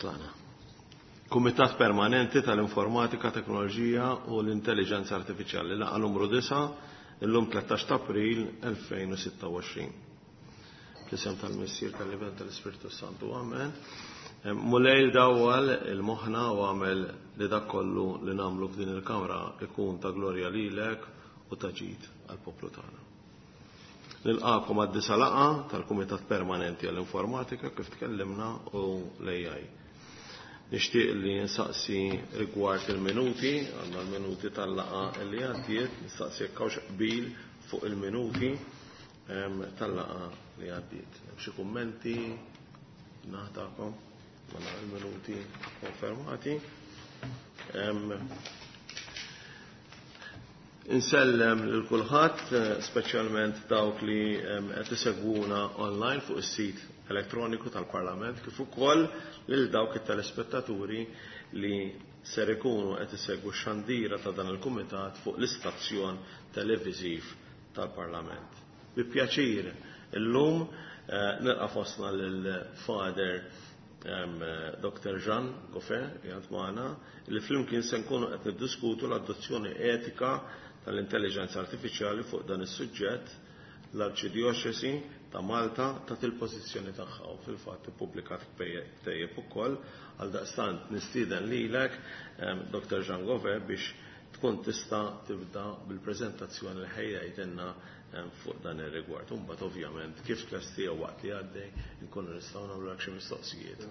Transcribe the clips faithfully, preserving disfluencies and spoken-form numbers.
Tlaqna. Kumitat Permanenti tal-Informatika, Teknoloġija u l-Intelligenza Artifiċjali, laqgħa numru disgħa, illum tlettax ta' April elfejn u sitta u għoxrin. Fl-isem tal-Missier, tal-Iben, tal-Ispirtu Santu, amen. Mulej dawwal il-moħħna u għamel li dak kollu li nagħmlu f'din il-kamra ikun ta' glorja lilek u ta' ġid għall-poplu tagħna. Nilqakom għad-disa' laqgħa tal-Kumitat Permanenti għall-Informatika kif tkellimna u l-A I. Nixtieq li nsaqsi rigward il-minuti, għandna l-minuti tal-laqgħa li għaddiet, nistaqsi jekk hawnx qbil fuq il-minuti tal-laqgħa li għaddiet. Hemm xi kummenti naħtakom? Mela il-minuti konfermati. Insellem lil kulħadd, speċjalment dawk li qed isegwuna online fuq is-sit elettroniku tal-Parlament, kif ukoll lil dawk it-telespettaturi li ser ikunu qed isegwu x-xandira ta' dan il-kumitat fuq l-istazzjon televiżiv tal-Parlament. Bi pjaċir illum nilqa' fostna lil Father Doctor Jean Goffe qiegħed magħna, li flimkien se nkunu qed niddiskutu l-adozzjoni etika tal-intelligenza artifiċjali. Fuq dan is-suġġett l-Arċidjoċesi ta' Malta tat il-pożizzjoni tagħha u fil-fatt ippubblikat ktejjeb ukoll. Għaldaqstant nistieden lilek, Doctor Jean Goffe, biex tkun tista' tibda bil-preżentazzjoni li ħejjajtilna fuq dan ir-rigward. Imbagħad ovvjament kif tlestija waqt li għaddej nkunu nistgħu nagħmlu xi mistoqsijiet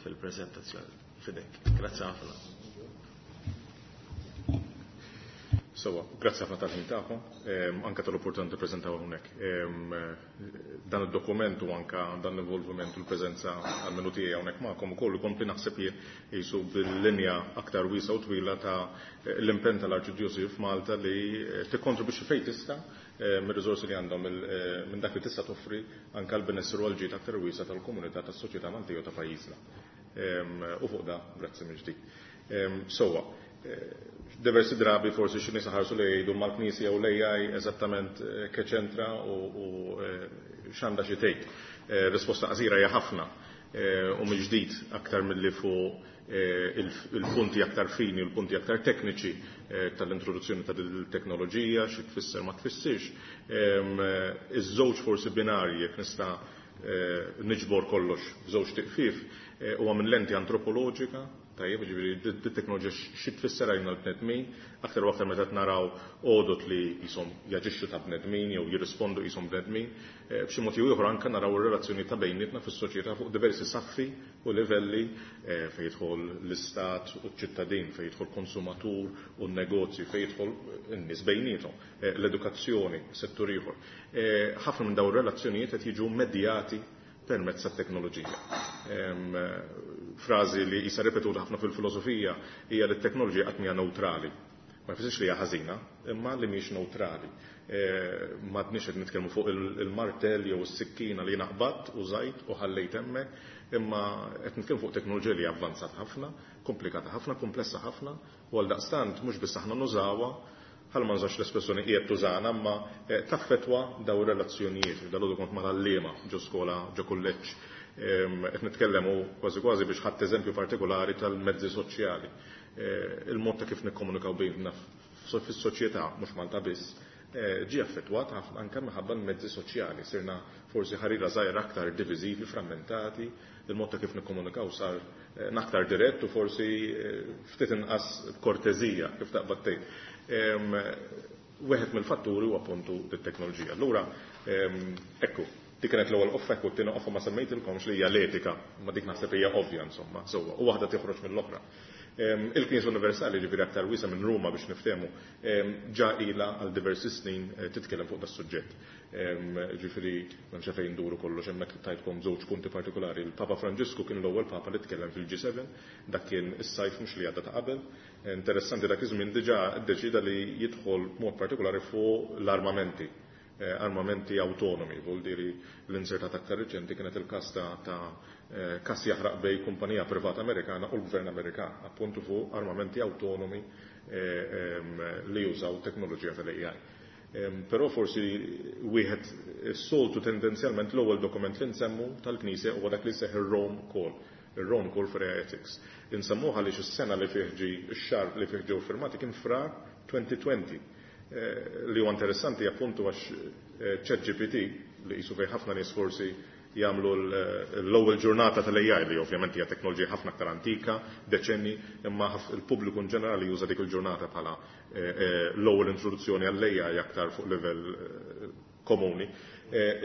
fil-preżentazzjoni. Fidek. Grazzi ħafna. Sewa, grazzi ħafna tal-ħin tagħkom, anke tal-opportunità tippreżentaw hawnhekk. Dan id-dokument u anke dan l-involviment u l-preżenza għall-menu tiegħi hawnhekk magħkom ukoll ikompli naħseb jien qisu bil-linja aktar wiesgħa u twila ta' l-impenn tal-Arċidjoċesi f'Malta li tikkontribwixxi fejn tista' mir-riżorsi li għandhom minn dak li tista' toffri anke l-benessru għal ġid aktar wiesgħa tal-komunità tas-soċjetà Maltija u ta' pajjiżna. U fuq da, grazzi mill-ġdid. Sewwa, diversi drabi forsi xi nies ħarsu li jgħidu mal-Knisja u l-A I eżattament keċentra u x'għandha xi tgħid. Risposta qasira hija ħafna u mill-ġdid aktar milli fuq il-punti aktar fini u l-punti aktar tekniċi tal-introduzzjoni ta' teknoloġija, xi tfisser ma tfissirx. Iż-żewġ forsi binarji jekk nista' niġbor kollox f'żewġ tiqfif huwa minn lenti antropoloġika, tajjeb, ġifieri dit-teknoloġija xi tfisser għalina l-bnedmin, aktar u aktar meta naraw għodot li qishom jaġixxu ta' bnedmin jew jirrispondu qishom bnedmin, b'xi mod jew ieħor anke naraw ir-relazzjoni ta' bejnietna fis-soċjetà fuq diversi saffi u livelli fejn jidħol l-istat u ċ-ċittadin, fejn jidħol konsumatur u n-negozji, fejn jidħol n-nies bejniethom, l-edukazzjoni, settur ieħor. Ħafna minn dawn ir-relazzjonijiet qed jiġu medjati permezz tat-teknoloġija. Frażi li qisha ripetuta ħafna fil-filosofija hija li t-teknoloġija qatt mhija neutrali. Ma jfissirx li hija ħażina, imma li mhix neutrali. M'għadniex qed nitkellmu fuq il-martell jew is-sikkina li naqbad u żajt u ħallejt hemmhekk, imma qed nitkellmu fuq teknoloġija li avvanzat ħafna, komplikata ħafna, komplessa ħafna, u għaldaqstant mhux biss aħna nużawha, ħalli ma nużax l-espressjoni qiegħed tużana, imma taffetwa daw ir-relazzjonijiet. Dalgħodu kont mal-għalliema ġo skola, ġo kulleġġ, qed nitkellem u kważi kważi biex ħadd eżempju partikolari tal-mezzi soċjali. Il-mod ta' kif nikkomunikaw bejna fis-soċjetà, mhux Malta biss, ġie affettwat ħafna anke minħabba l-mezzi soċjali. Sirna forsi ħarira żgħira aktar diviżivi, frammentati, il-mod ta' kif nikkomunikaw sar aktar dirett u forsi ftit inqas korteżija kif taqbad tgħid. Wieħed mill-fatturi huwa appuntu t-teknoloġija. Allura, ekku, dik kienet l-ewwel qoffa, ekku t-tieni qoffa ma semmejtilkomx li hija l-etika, ma dik naħseb hija ovvja insomma, sewwa, u waħda toħroġ mill-oħra. Il-Knisja Universali, ġifieri aktar wiesa' minn Ruma biex niftehmu, ġa ilha għal diversi snin titkellem fuq das-suġġett. Ġifieri m'hemmx fejn nduru kollox hemmhekk tajtkom żewġ punti partikolari. Il-Papa Franġisku kien l-ewwel Papa li tkellem fil-G seven, dak kien is-sajf mhux li għadda ta' qabel. Interessanti dak iż-żmien diġà ddeċida li jidħol b'mod partikolari fuq l-armamenti, armamenti autonomi, vuol dire l-insertat aktar reċenti kienet il-każ ta', ta' każ jaħraq bej kumpanija privata Amerikana u l-Gvern Amerikan, appuntu fuq armamenti autonomi li jużaw teknoloġija tal-A I. Però forsi wieħed is-soltu tendenzjalment l-ewwel dokument li nsemmu tal-Knisja huwa dak li seħħ ir-Rome Call. Il-Rome Call for A I Ethics. Insemmuha għaliex is-sena li fih ġi, ix-xahar li fih ġew firmati kien Frar elfejn u għoxrin. Eh, li huwa interessanti appuntu għax eh, ChatGPT li qisu fejn ħafna nies forsi jagħmlu l-ewwel ġurnata tal-A I, li ovvjament hija teknoloġija ħafna aktar antika, deċenni, imma il-pubbliku in ġenerali juża dik il-ġurnata bħala eh, l-ewwel introduzzjoni għall-A I aktar fuq livell komuni.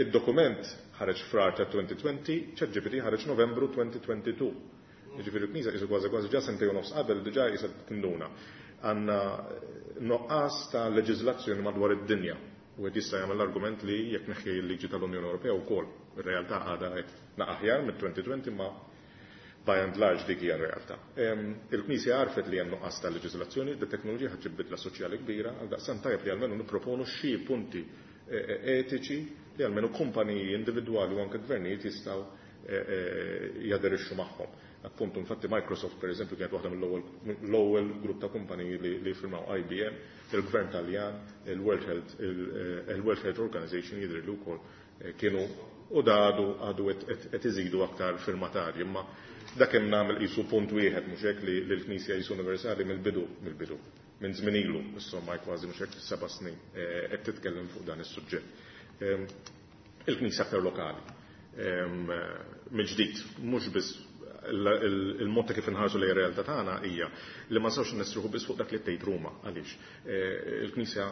Id-dokument ħareġ Frar ta' elfejn u għoxrin, ChatGPT ħareġ Novembru elfejn u tnejn u għoxrin. Jiġifieri l-Knisja qisu kważi kważi ġa sentejn u nofs qabel diġà qisha tinduna. Għandna nuqqas ta' leġiżlazzjoni madwar id-dinja. U qed jista' jagħmel l-argument li jekk neħħi l-liġi tal-Unjoni Ewropea wkoll, ir-realtà għadha qed aħjar mit-elfejn u għoxrin, ma by and large dik hija r-realtà. Il-Knisja għarfet li hemm nuqqas ta' leġiżlazzjoni, it-teknoloġija ħa ġġib bidla soċjali kbira, għaldaqstant tajjeb li almenu nipproponu xi punti e, e, etiċi li almenu kumpaniji individwali u anke gvernijiet jistgħu e, jaderixxu magħhom. Appuntu, infatti Microsoft per eżempju kienet waħda mill-ewwel grupp ta' kumpaniji li, li firmaw, I B M, il-Gvern Taljan, il-World Health, il-World Health Organization jidher li wkoll eh, kienu u da għadu għadu qed iżidu aktar firmatarji, imma dak hemm nagħmel qisu punt wieħed, mhux hekk, li l-Knisja qisu universali mill-bidu mill-bidu minn żmien ilu, insomma kważi, mhux hekk, seba' snin eh, qed titkellem fuq dan is-suġġett. Ehm, il-Knisja aktar lokali. Ehm, mill-ġdid, mhux biss il-mod ta' kif inħarsu lejn realtà tagħna hija li ma nistgħux nistrieħu biss fuq dak li tgħid Ruma. Għaliex? Eh, il-Knisja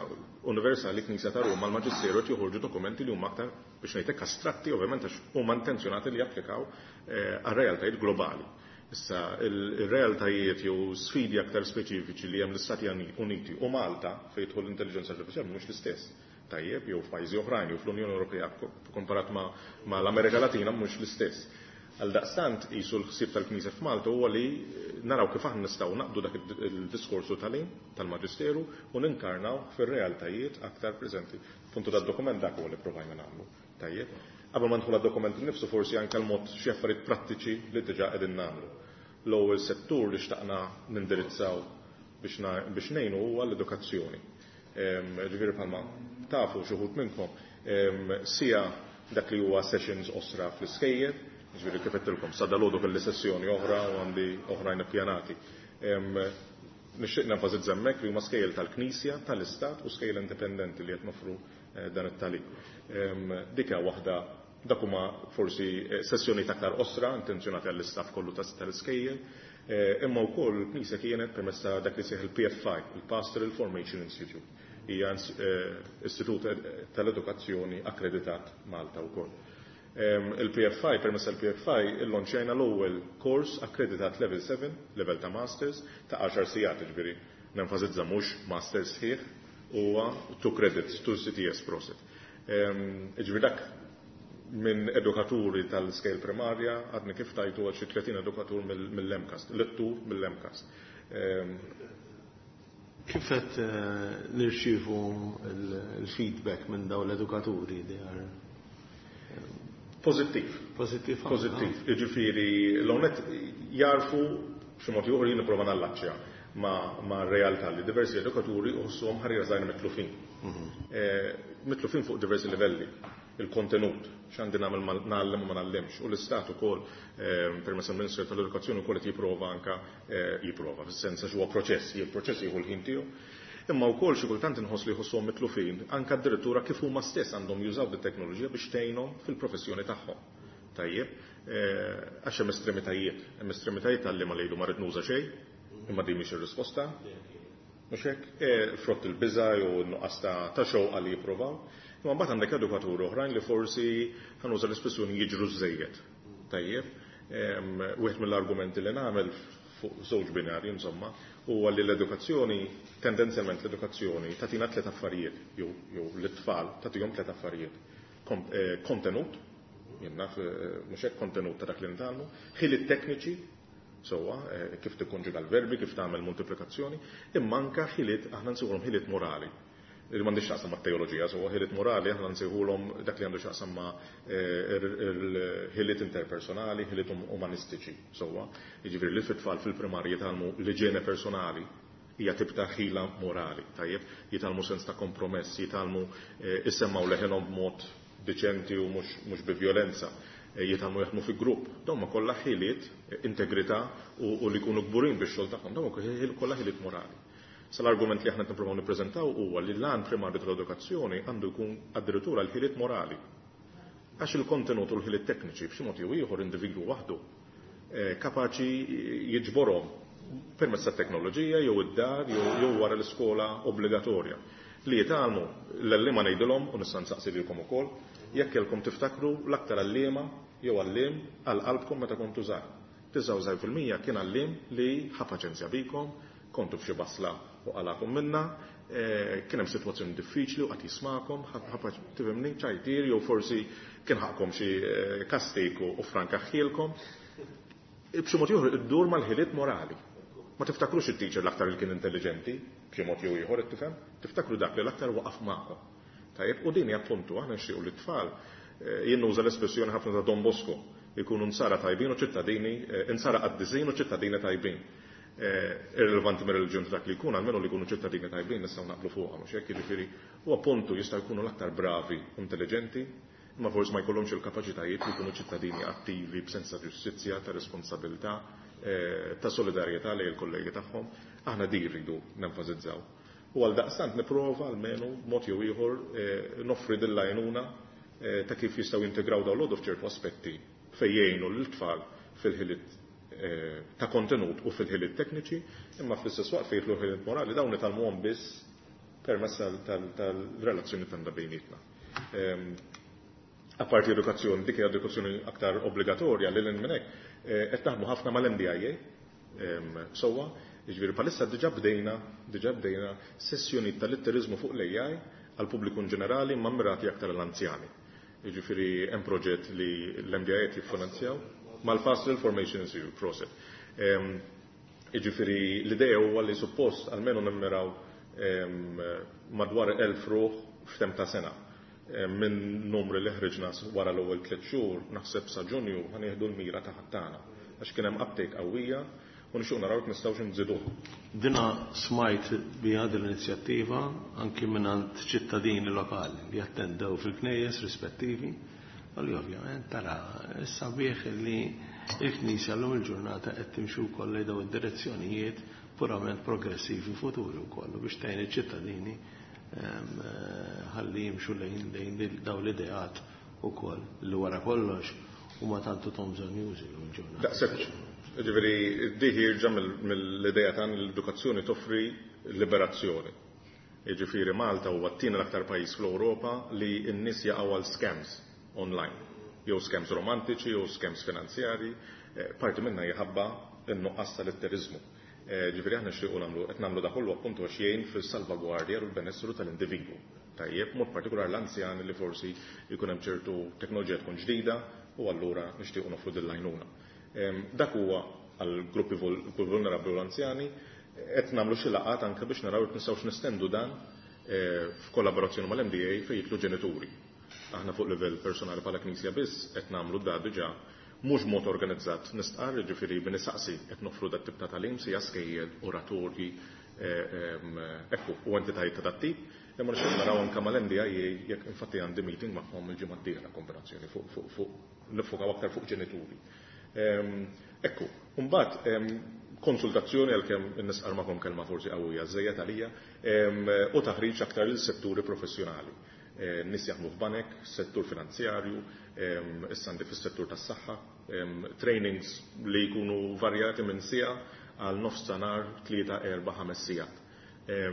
Universali, Knisja ta' Ruma, l-Maġisteru qed joħorġu dokumenti li huma aktar, biex ngħidlek, astratti, ovvjament għax huma intenzjonati li japplikaw eh, għar-realtajiet globali. Issa, il-realtajiet jew sfidi aktar speċifiċi li hemm l-Istati Uniti u Malta fejn jidħol l-intelligenza artifiċjali mhux l-istess. Tajjeb, jew f'pajjiżi oħrajn, jew fl-Unjoni Ewropea komparat ma' l-Amerika Latina mhux l-istess. Għal daqstant qisu l-ħsieb tal-Knisja f'Malta huwa li naraw kif aħna nistgħu naqdu dak il-diskorsu tal tal-Maġisteru u ninkarnaw fir-realtajiet aktar preżenti. Puntu dad-dokument dak huwa li provajna nagħmlu. Tajjeb. Qabel ma nidħol għad-dokument innifsu, forsi anke l-mod xi affarijiet prattiċi li diġà qegħdin nagħmlu. L-ewwel settur li xtaqna nindirizzaw biex ngħinu huwa l-edukazzjoni. Ġifieri bħalma tafu xi wħud minnkom, sija dak li huwa sessions qosra fl-iskejjel, ġifieri kif għedtilkom, sa dalgħodu kelli sessjoni oħra u għandi oħrajn ippjanati. Nixtieq nenfasizza hemmhekk li huma skejjel tal-Knisja, tal-Istat u skejjel indipendenti li qed nofru eh, dan it-tagħlim. Dik waħda, dak huma forsi eh, sessjoni aktar qosra intenzjonati għall-istaff kollu tal-iskejjel, eh, imma wkoll il-Knisja kienet permezz ta' dak li sejjaħ il-P F I, il-Pastoral Formation Institute. Hija istitut tal-edukazzjoni akkreditat Malta wkoll. Il-P F I, permezz tal-P F I, illonċjajna l-ewwel kors akkreditat level seba, level ta' masters, ta' għaxar sigħat, ġifieri nenfasizza mhux masters sħiħ, huwa two credits, two E C T S prosit. Ġifieri dak minn edukaturi tal-iskejjel primarja, għadni kif tajtu għal xi tletin edukatur mill-MCAST, lettur mill-MCAST. Kif qed eh, nirċievu il-feedback minn dawn l-edukaturi li għar? Pozittiv. Pozittiv. Pozittiv. Jiġifieri l-onet jarfu xi mod ieħor jien nipprova nallaċċja ma, ma realtà li diversi edukaturi uħossuhom ħarira żgħira mitlufin. Mhm. Eh, mitlufin fuq diversi livelli. Il-kontenut, x'għandi nagħmel, ngħallem u ma ngħallimx. U l-Istat ukoll eh, permezz il-Ministeru tal-Edukazzjoni ukoll qed jipprova anka eh, jipprova, fis-sens għax huwa proċess, il-proċess jieħu l-ħin tiegħu. Imma wkoll xi kultant inħoss li jħossuhom mitlufin anke addirittura kif huma stess għandhom jużaw bit-teknoloġija biex tgħinhom fil-professjoni tagħhom. Tajjeb, eh, għax hemm estremitajiet, hemm estremitajiet tal-li ma lejlu ma rrid nuża xejn, imma din mhix ir-risposta. Mhux hekk, eh, frott il-biża jew nuqqas ta' xewqa li jippruvaw. Imma mbagħad għandek edukaturi oħrajn li forsi, ħa nuża l-espressjoni, jiġru żejjed. Tajjeb, wieħed mill-argumenti li nagħmel fuq żewġ binarji insomma, huwa li l-edukazzjoni, tendenzjalment l-edukazzjoni tagħtina tliet affarijiet, jew jew l-tfal tagħtihom tliet affarijiet. Eh, kontenut, jien naf, eh, mhux hekk, kontenut ta' dak li nitgħallmu, ħiliet tekniċi, sewwa, eh, kif tikkonġuga l-verbi, kif tagħmel multiplikazzjoni, imma anka ħiliet, aħna nsejħulhom ħiliet morali. Li m'għandix x'taqsam ma' teoloġija, sewwa, ħiliet morali aħna nsejħulhom dak li għandu x'taqsam ma' ħiliet interpersonali, ħiliet um-, umanistiċi, sewwa. Jiġifieri li fit-tfal fil-primarji jitgħallmu l-iġene personali hija tip ta' ħila morali, tajjeb, jitgħallmu sens ta' kompromess, jitgħallmu eh, isemmgħu leħenhom b'mod deċenti u mhux bi violenza. jitgħallmu jaħdmu fi grupp. Dawn ma kollha ħiliet, integrità u li jkunu kburin bix-xogħol tagħhom, dawn kollha ħiliet morali. Sal-argument li aħna nippruvaw nippreżentaw huwa li l-għan primarju tal-edukazzjoni għandu jkun addirittura l-ħiliet morali. Għax il-kontenut u l-ħiliet tekniċi b'xi mod jew ieħor individwu waħdu kapaċi jiġborhom permezz tat-teknoloġija jew id-dar jew wara l-iskola obbligatorja. Li jitgħallmu l-għalliema ngħidilhom u nista' nsaqsi lilkom ukoll, jekk kellkom tiftakru l-aktar għalliema jew għalliem għal qalbkom meta kontu żgħar. Tisgħa u disgħin fil-mija kien għalliem li ħa paċenzja bikom, kontu f'xi basla u qalakom minna, kien hemm sitwazzjoni diffiċli u qatt jismakom, tifhimni ċajtir jew forsi kien ħaqkom xi kastiku u franka ħielkom. B'xi mod ieħor iddur mal-ħiliet morali. Ma tiftakrux it-teacher l-aktar li kien intelligenti, b'xi mod jew ieħor tifhem, tiftakru dak li l-aktar waqaf magħkom. Tajjeb, u din hija appuntu aħna nixtiequ li t-tfal jien nuża l-espressjoni ħafna ta' Don Bosco, jkunu nsara tajbin u ċittadini, insara qaddisin u ċittadini tajbin. Irrelevanti mir-reliġjon ta' dak li jkun, almenu li jkunu ċittadini tajbin nistgħu naqblu fuqha, mhux hekk, jiġifieri u appuntu jistgħu jkunu l-aktar bravi u intelligenti, imma forsi ma jkollhomx il-kapaċitajiet li jkunu ċittadini attivi b'sens ta' ġustizzja, ta' responsabilità, ta' solidarjetà lejn il-kollegi tagħhom. Aħna din rridu nenfasizzaw. U għal daqstant nipprova almenu mod jew ieħor noffri din l-għajnuna ta' kif jistgħu jintegraw dawn l-għodu f'ċertu aspetti fejn jgħinu lill-tfal fil-ħiliet ta' kontenut u fil-ħiliet tekniċi, imma fl-istess waqt fejn jidħlu l-ħiliet morali dawn nitgħallmuhom biss permezz tal-relazzjoni tagħna bejnietna. Apparti edukazzjoni, dik hija edukazzjoni aktar obbligatorja lil hinn minn hekk, qed naħdmu ħafna mal-M D I A sewwa, jiġifieri bħalissa diġà bdejna, diġà bdejna sessjonijiet tal-litteriżmu fuq l-A I għall pubbliku in ġenerali imma mirati aktar għall-anzjani. Jiġifieri hemm proġett li l-M D I A qed jiffinanzjaw mal-Pastoral Formation Institute Process. Jiġifieri l-idea huwa li suppost almenu nimmiraw madwar elf ruħ f'temp ta' sena. Minn numri li ħriġna wara l-ewwel tliet xhur, naħseb sa Ġunju ħanieħdu l-mira ta' ħattana għax kien hemm uptake qawwija u nixtieq naraw jekk nistgħux nżiduh. Dina smajt biha din l-inizjattiva anki mingħand ċittadini lokali li attendew fil-knejjes rispettivi, u li ovvjament tara sabiħ li l-Knisja llum il-ġurnata qed timxi wkoll lejn dawn id-direzzjonijiet purament progressivi futuri wkoll biex tgħin iċ-ċittadini ħalli jimxu lejn lejn dawn l-ideat ukoll li wara kollox huma tantu tom bżonn jużi llum il-ġurnata. Daqshekk, jiġifieri di ħierġa mill-idea tagħna li l-edukazzjoni toffri liberazzjoni. Jiġifieri Malta huwa t-tieni l-aktar pajjiż fl-Ewropa li n-nies jaqgħu għal scams online, jew scams romantiċi, jew scams finanzjari, parti minna jħabba n-nuqqas tal-litteriżmu. Ġifieri aħna nixtiequ nagħmlu, qed nagħmlu dak kollu appuntu għax jgħin fis-salvagwardja u l-benessru tal-individwu. Tajjeb, mod partikolari l-anzjani li forsi jkun hemm ċertu teknoloġija tkun ġdida u allura nixtiequ noffru din l-għajnuna. Dak huwa għal gruppi vulnerabbli u l-anzjani, qed nagħmlu xi laqgħat anke biex naraw jekk nistgħux nestendu dan f'kollaborazzjoni mal-M D A fejn jidħlu ġenituri. Aħna fuq livell personali bħala Knisja biss qed nagħmlu da diġà mhux mod organizzat nistqarr, jiġifieri b'nisaqsi qed noffru dat tip ta' tagħlim sija skejjel, oratorji, ekku, u entitajiet ta' dat tip, imma nixtieq naraw anke mal-M D I A jekk infatti għandi meeting magħhom il-ġimgħa d-dieħla kombinazzjoni fuq fuq fuq nifokaw aktar fuq ġenituri. Ekku, mbagħad konsultazzjoni għalkemm nisqar magħkom kelma forsi qawwija żejjed għalija, u taħriġ aktar lil setturi professjonali. Nies jaħdmu f'banek, settur finanzjarju, issa għandi fis-settur tas-saħħa, trainings li jkunu varjati minn siegħa għal nofs ta' nhar tlieta, erba', ħames sigħat.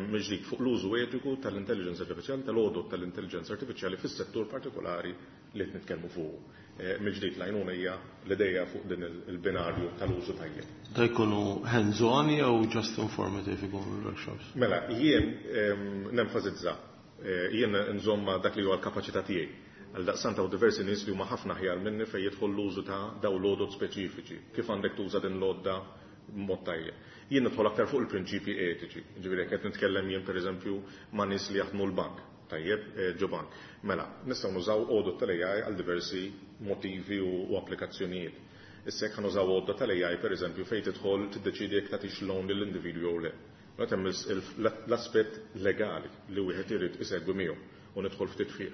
Mill-ġdid fuq l-użu etiku tal-intelligence artificiali, tal-għodod tal-intelligence artificiali fis-settur partikolari li qed nitkellmu fuq. Mill-ġdid l-għajnuna hija l-idea fuq din il-binarju tal-użu tajjeb. Da jkunu hands-on jew just informative ikunu l-workshops? Mela, jien nenfasizza, jien nżomma dak li huwa l-kapaċità tiegħi. Għal daqstant hawn diversi nies li huma ħafna aħjar minni fejn jidħol l-użu ta' dawn l-għodod speċifiċi, kif għandek tuża din l-għodda b'mod tajjeb. Jien nidħol aktar fuq il-prinċipji etiċi, ġifieri jekk qed nitkellem jien pereżempju ma' nies li jaħdmu l-bank, tajjeb, ġo bank. Mela, nistgħu nużaw għodod tal-A I għal diversi motivi u, u applikazzjonijiet. Issa jekk ħanużaw għodda tal-A I pereżempju fejn tidħol tiddeċiedi jekk tagħtix loan lill-individwu jew le. Mela hemm l-aspett legali li wieħed irid isegwi miegħu u nidħol ftit fih.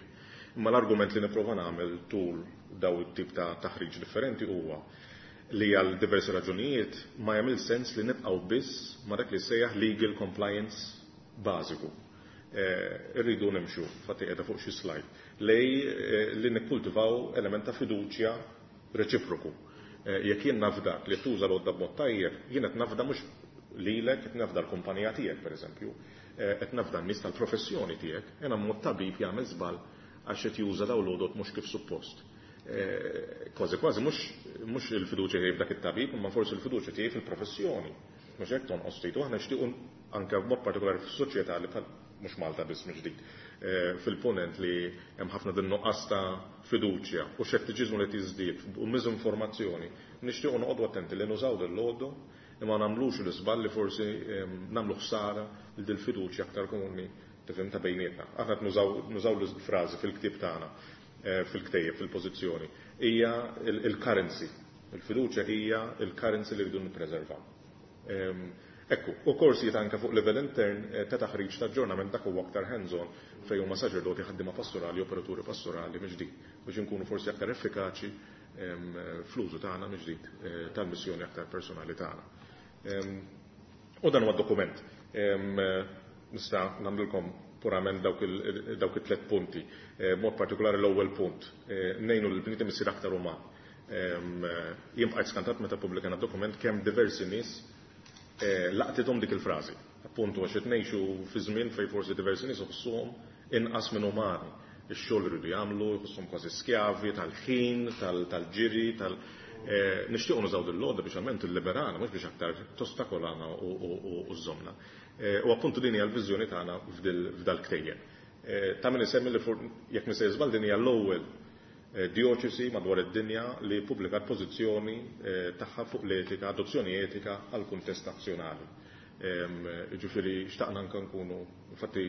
Imma l-argument li nipprova nagħmel tul daw it-tip ta' taħriġ differenti huwa li għal diversi raġunijiet ma jagħmel sens li nibqgħu biss ma' dak li sejjaħ legal compliance bażiku. Irridu nimxu, fatti qiegħda fuq xi slide, lej li nikkultivaw element ta' fiduċja reċiproku. Jekk jien nafdak li tuża l-għodda b'mod tajjeb, jien qed nafda mhux lilek, qed nafda l-kumpanija tiegħek pereżempju, qed nafda n-nies tal-professjoni tiegħek, jiena mod tabib jagħmel żball għax qed juża dawn l-għodod mhux kif suppost. Kważi kważi mhux il-fiduċja tiegħi f'dak it-tabib, imma forsi l-fiduċja tiegħi fil-professjoni. Mhux hekk tonqos ftit, u aħna nixtiequ anke b'mod partikolari fis-soċjetà li bħal mhux Malta biss mhux ġdid, fil-punent li hemm ħafna din nuqqas ta' fiduċja u xettiċiżmu li tiżdied u miżinformazzjoni, nixtiequ noqogħdu attenti li nużaw din l-għodda imma nagħmlux l-iżball li forsi nagħmlu ħsara lil din il-fiduċja aktar komuni tifhem ta' bejnietna. Aħna qed nużaw l-frażi fil-ktieb tagħna, fil-ktejjeb, fil-pożizzjoni, hija il-currency. Il-fiduċja hija il-currency li rridu nippreservaw. Ekku, u korsijiet anke fuq livell intern ta' taħriġ ta' aġġornament dak huwa aktar hands-on fejn huma saċerdoti, ħaddiema pastorali, operaturi pastorali mill-ġdid, biex inkunu forsi aktar effikaċi fl-użu tagħna mill-ġdid tal-missjoni aktar personali tagħna. U dan huwa dokument. Nista' nagħmlilkom purament dawk it-tliet punti. Mod partikolari l-ewwel punt, ngħinu lil bniedem isir aktar uman. Jien bqajt skantat meta ppubblikajna dokument kemm diversi nies laqtithom dik il-frażi. Appuntu għax qed ngħixu fi żmien fejn forsi diversi nies iħossuhom inqas minn umani. Ix-xogħol iridu jagħmlu, jħossuhom kważi skjavi tal-ħin, tal-ġiri, tal nixtiequ nużaw din l-għodda biex għalment illiberana, mhux biex aktar tostakolana u żżomna. U appuntu din hija l-viżjoni tagħna f'dal-ktejjeb. Ta' min isemmi li jekk nisejjer żball din hija l-ewwel dioċesi madwar id-dinja li ppubblikat pożizzjoni tagħha fuq l-etika, adozzjoni etika għal kuntest nazzjonali. Ġifieri xtaqna anke nkunu, infatti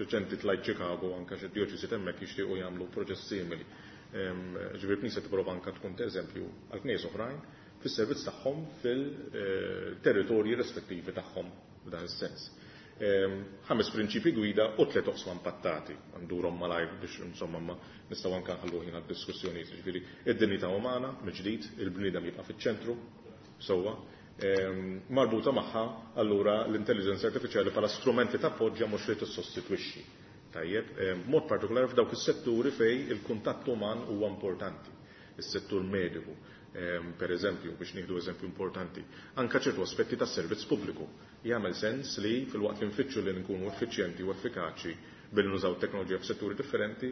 reċenti tlajt Chicago anke xi dioċesi hemmhekk jixtiequ jagħmlu proċess simili. Ġifieri Knisja tipprova anke tkun eżempju għal knies oħrajn fis-servizz tagħhom fil-territorji rispettivi tagħhom f'dan is-sens. Ħames prinċipi gwida u tliet oqsma impattati. Ndurhom malajr biex insomma ma nistgħu anke nħallu ħin għad-diskussjonijiet. Ġifieri id-dinjità umana mill-ġdid, il-bniedem jibqa' fiċ-ċentru sewwa, marbuta magħha allura l-intelligenza artifiċjali bħala strument li tappoġġja mhux li tissostitwixxi. Tajjeb, b'mod partikolari f'dawk is-setturi fejn il-kuntatt uman huwa importanti. Is-settur mediku, per eżempju, biex nieħdu eżempju importanti, anke ċertu aspetti tas-servizz pubbliku. Jagħmel sens li fil-waqt li nfittxu li nkunu effiċjenti u effikaċi billi nużaw teknoloġija f'setturi differenti,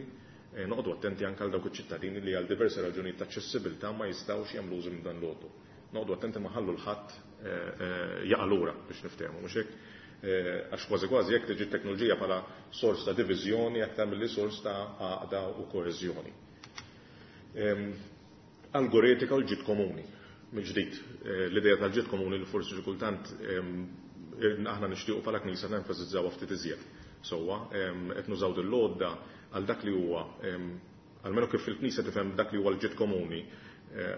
noqogħdu attenti anke għal dawk iċ-ċittadini li għal diversi raġunijiet ta' aċċessibilità ma jistgħux jagħmlu użu minn dan l-għoddu. Noqogħdu attenti ma ħallu l-ħadd jaqa' lura biex niftehmu, mhux hekk? Għax kważi kważi jekk tiġi t-teknoloġija bħala sors ta' diviżjoni aktar milli sors ta' għaqda u koeżjoni. Algoretika u l-ġid komuni. Mill-ġdid, l-idea tal-ġid komuni li forsi xi kultant aħna nixtiequ bħala Knisja nenfasizzawha ftit iżjed. Sewwa, qed nużaw din l-għodda għal dak li huwa, almenu kif il-Knisja tifhem dak li huwa l-ġid komuni,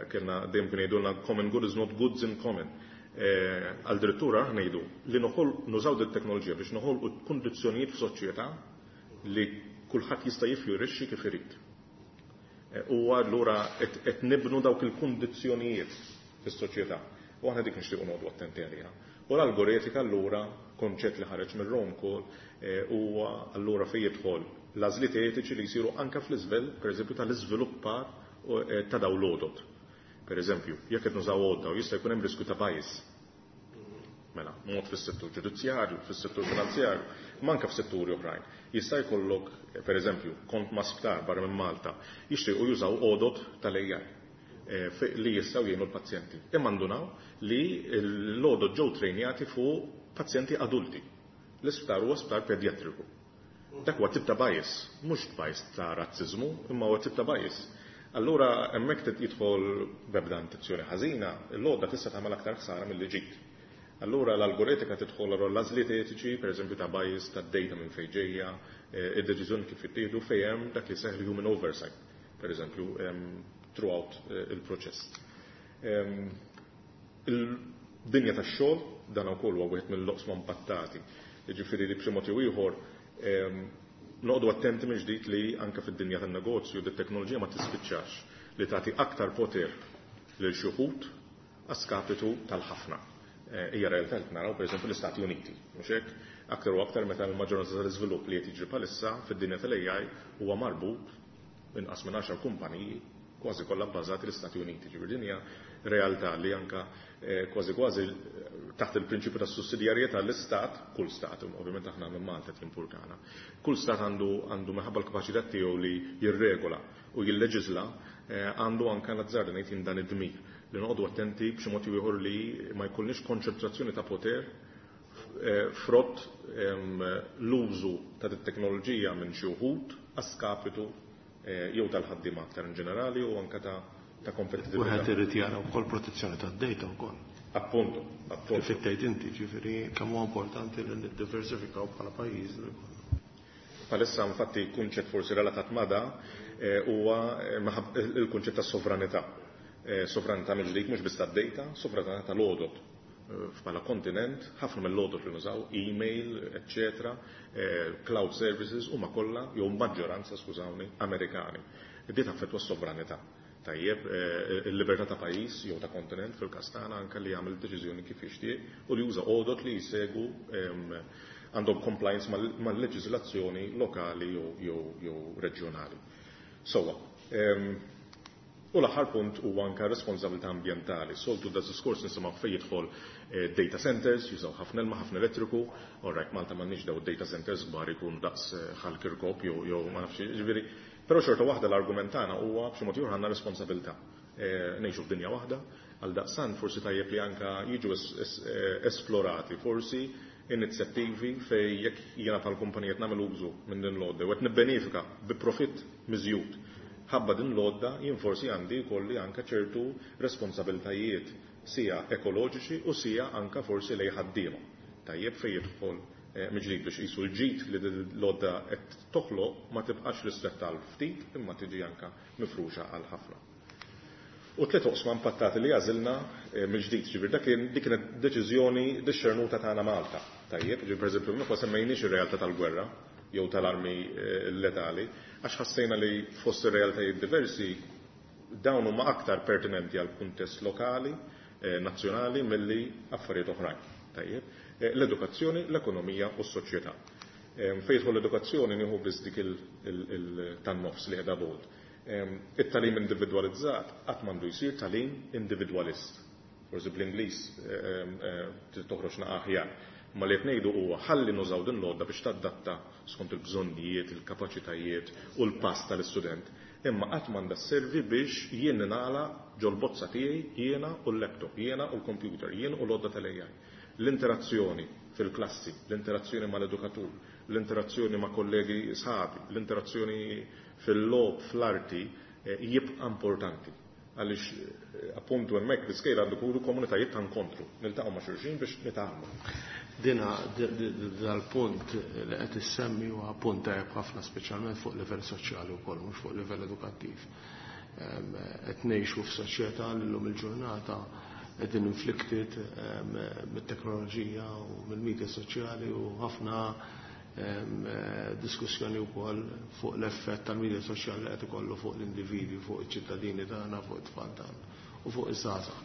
kellna dejjem kien jgħidulna common good is not goods in common. Għal direttura aħna ngħidu li nużaw din it-teknoloġija biex noħolqu kundizzjonijiet f'soċjetà li kulħadd jista' jiffjorixxi kif irid. U allura qed nibnu dawk il-kundizzjonijiet fis-soċjetà. U aħna dik nixtiequ noqogħdu attenti għaliha. U l-algoretika allura, konċett li ħareġ mir-Rome Call, huwa allura fejn jidħol l-għażliet etiċi li jsiru anke fl-iżvell, pereżempju, tal-iżviluppar ta' dawn l-għodod. Per eżempju, jekk qed nużaw għodda u jista' jkun hemm riskju ta' bias. Mela, mod fis-settur ġudizzjarju, fis-settur finanzjarju, ma anke f'setturi oħrajn. Jista' jkollok, per eżempju, kont ma' sptar barra minn Malta, jixtiequ jużaw għodod tal-A I li jistgħu jgħinu l-pazjenti. Imma ndunaw li l-għodod ġew trejnjati fuq pazjenti adulti. L-isptar huwa sptar pedjatriku. Dak huwa tip ta' bias, mhux bias ta' razziżmu, imma huwa tip ta' bias. Allura hemmhekk jidħol b'ebda intenzjoni ħażina, l-għodda tista' tagħmel aktar ħsara milli ġid. Allura l-algoretika tidħol allura l-għażliet etiċi, pereżempju ta' bias, ta' data minn fejn ġejja, id-deċiżjoni kif jittieħdu fejn hemm dak li seħħ human oversight, pereżempju, throughout il-proċess. Il-dinja tax-xogħol dan ukoll huwa wieħed mill-oqsma impattati. Jiġifieri li b'xi mod jew ieħor Noqogħdu attenti minn ġdid li anke fid-dinja tan-negozju dit-teknoloġija ma tispiċċax li tagħti aktar poter lil xi wħud għas-skapitu tal-ħafna. Hija realtà li naraw pereżempju l-Istati Uniti, mhux hekk? Aktar u aktar meta l-maġġoranza tal-iżvilupp li qed jiġri bħalissa fid-dinja tal-A I huwa marbut inqas minn għaxar kumpaniji, kważi kollha bbażati l-Istati Uniti. Ġifieri din hija realtà li anka kważi kważi taħt il-prinċipju tas sussidjarjetà l-istat, kull stat, ovvjament aħna minn Malta timpurtana, kull stat għandu għandu minħabba l-kapaċità tiegħu li jirregola u jilleġisla, għandu anka, nazzarda ngħid, dan id-dmir li noqogħdu attenti b'xi mod ieħor li ma jkollniex konċentrazzjoni ta' poter frott l-użu ta' teknoloġija minn xi wħud għas-skapitu jew tal-ħaddiema aktar in ġenerali u anka ta' ta' kompetitività. Wieħed irid jara wkoll protezzjoni tad-data wkoll. Appunto, appunto. Kif tgħid inti, ġifieri kemm huwa importanti li niddiversifikaw bħala pajjiż li jkollna. Palissa infatti kunċett forsi relatat ma' da huwa il-kunċett ta' sovranità. Sovranità mill-ġdid mhux biss tad-data, sovranità tal-għodod. Bħala kontinent, ħafna mill-għodod li nużaw, email, eccetera, cloud services, huma kollha, jew maġġoranza, skużawni, Amerikani. Di taffettwa s-sovranità. Tajjeb, il-libertà ta' pajjiż jew ta' kontinent fil-każ tagħna anke li jagħmel deċiżjoni kif jixtieq u li juża għodod li jsegu għandhom compliance mal-leġiżlazzjoni lokali jew reġjonali. Sowa, u l-aħħar punt huwa anke responsabilità ambjentali. Soltu da diskors nisimgħu fejn jidħol data centers, jużaw ħafna ilma, ħafna elettriku, orrajt, Malta m'għandniex daw data centers kbar ikunu daqs Ħal Kirkop jew ma nafx, ġifieri, però xorta waħda l-argument tagħna huwa b'xi mod ieħor għandna responsabilità. Ngħixu f'dinja waħda, għal daqstant forsi tajjeb li anka jiġu esplorati forsi inizjattivi fej jekk jiena bħal kumpanija nagħmel użu minn din l-għodda u qed nibbenefika bi profitt miżjud ħabba din l-għodda, jien forsi għandi jkolli anka ċertu responsabiltajiet sija ekoloġiċi u sija anka forsi lej ħaddiema. Tajjeb, fej jidħol mill-ġdid biex qisu l-ġid li l-għodda qed toħloq ma tibqax ristretta għal ftit imma tiġi anka mifruxa għal ħafna. U tliet oqsma impattati li għażilna mill-ġdid, ġifieri dak kien dik kienet deċiżjoni dixxernuta tagħna Malta. Tajjeb, ġifieri pereżempju ma semmejniex ir-realtà tal-gwerra jew tal-armi letali, għax ħassejna li fost ir-realtajiet diversi dawn huma aktar pertinenti għal kuntest lokali, nazzjonali milli affarijiet oħrajn. Tajjeb, l-edukazzjoni, l-ekonomija u s-soċjetà. Fejn l-edukazzjoni nieħu biss dik tan-nofs li qiegħda bold. It-tagħlim individwalizzat qatt m'għandu jsir tagħlim individwalist. Forsi bl-Ingliż toħroġ aħjar. Ma li qed ngħidu huwa ħalli nużaw din l-għodda biex tadatta skont il-bżonnijiet, il-kapaċitajiet u l-pass tal-istudent. Imma qatt m'għandha sservi biex jien ningħalaq ġol-bozza tiegħi, jiena u l-laptop, jiena u l-computer, jien u l-għodda tal-A I. L-interazzjoni fil-klassi, l-interazzjoni mal-edukatur, l-interazzjoni ma' kollegi sħabi, l-interazzjoni fil-logħob, fl-arti, jibqa' importanti. Għaliex appuntu hemmhekk l-iskejjel għandu jkunu komunitajiet ta' inkontru, niltaqgħu ma' xulxin biex nitgħallmu. Dina dal-punt li qed issemmi huwa punt tajjeb ħafna, speċjalment fuq livell soċjali wkoll, mhux fuq livell edukattiv. Qed ngħixu f'soċjetà li llum il-ġurnata qegħdin inflicted mit-teknoloġija u mill-media soċjali u ħafna diskussjoni wkoll fuq l-effett tal-media soċjali li qed ikollu fuq l-individwi, fuq iċ-ċittadini tagħna, fuq it-tfal tagħna u fuq iż-żgħażagħ.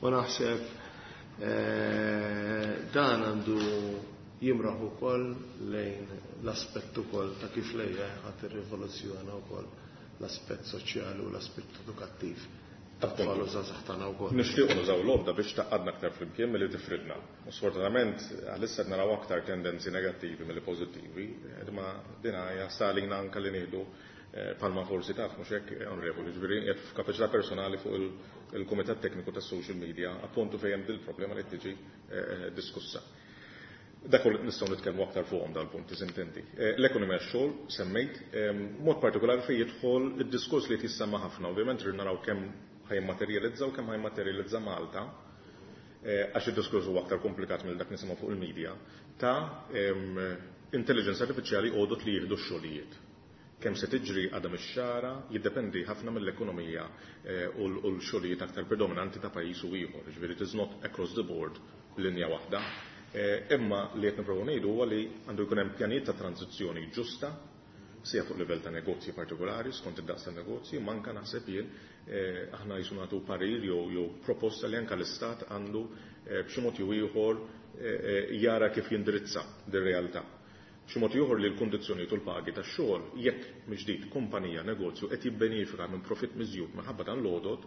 U naħseb dan għandu jimraħ ukoll lejn l-aspett ukoll ta' kif l-A I ħadd irrivoluzzjona wkoll l-aspett soċjali u l-aspett edukattiv tat-tfal u żgħażagħ tagħna wkoll. Nixtiequ nużaw l-għodda biex tgħaqqadna aktar flimkien milli tifridna. U sfortunatament għalissa qed naraw aktar tendenzi negattivi milli pożittivi, imma din hija salina anke li nieħdu palma forsi taf, mhux hekk, onorevoli, ġifieri qed f'kapaċità personali fuq il-Kumitat Tekniku tas-Social Media, appuntu fejn hemm dil-problema li tiġi diskussa. Dak nistgħu nitkellmu aktar fuqhom dal-punti sintendi. L-ekonomija, x-xogħol semmejt, mod partikolari fejn jidħol id-diskors li qed jissemma ħafna, ovvjament rrid naraw kemm ħa jimmaterjalizza u kemm ħa jimmaterjalizza Malta, għax id-diskors huwa aktar komplikat mill dak nisimgħu fuq il-media, ta' intelligence artificiali, għodot li jieħdu x-xogħlijiet. Kemm se tiġri għadha mix-xara, jiddependi ħafna mill-ekonomija u l-xogħlijiet aktar predominanti ta' pajjiż u ieħor. Ġifieri it is not across the board linja waħda. Imma li qed nipprovaw ngħidu huwa li għandu jkun hemm pjanijiet ta' tranzizzjoni ġusta. sija fuq livell ta' negozji partikolari, skont id-daqs ta' negozji, ma anke naħseb jien aħna jisu nagħtu parir jew jew proposta li anke l-Istat għandu b'xi mod jew ieħor jara kif jindirizza dir-realtà. B'xi mod ieħor li l-kundizzjonijiet u l-pagi tax-xogħol jekk mill-ġdid kumpanija negozju qed jibbenefika minn profitt miżjud minħabba dan l-għodod,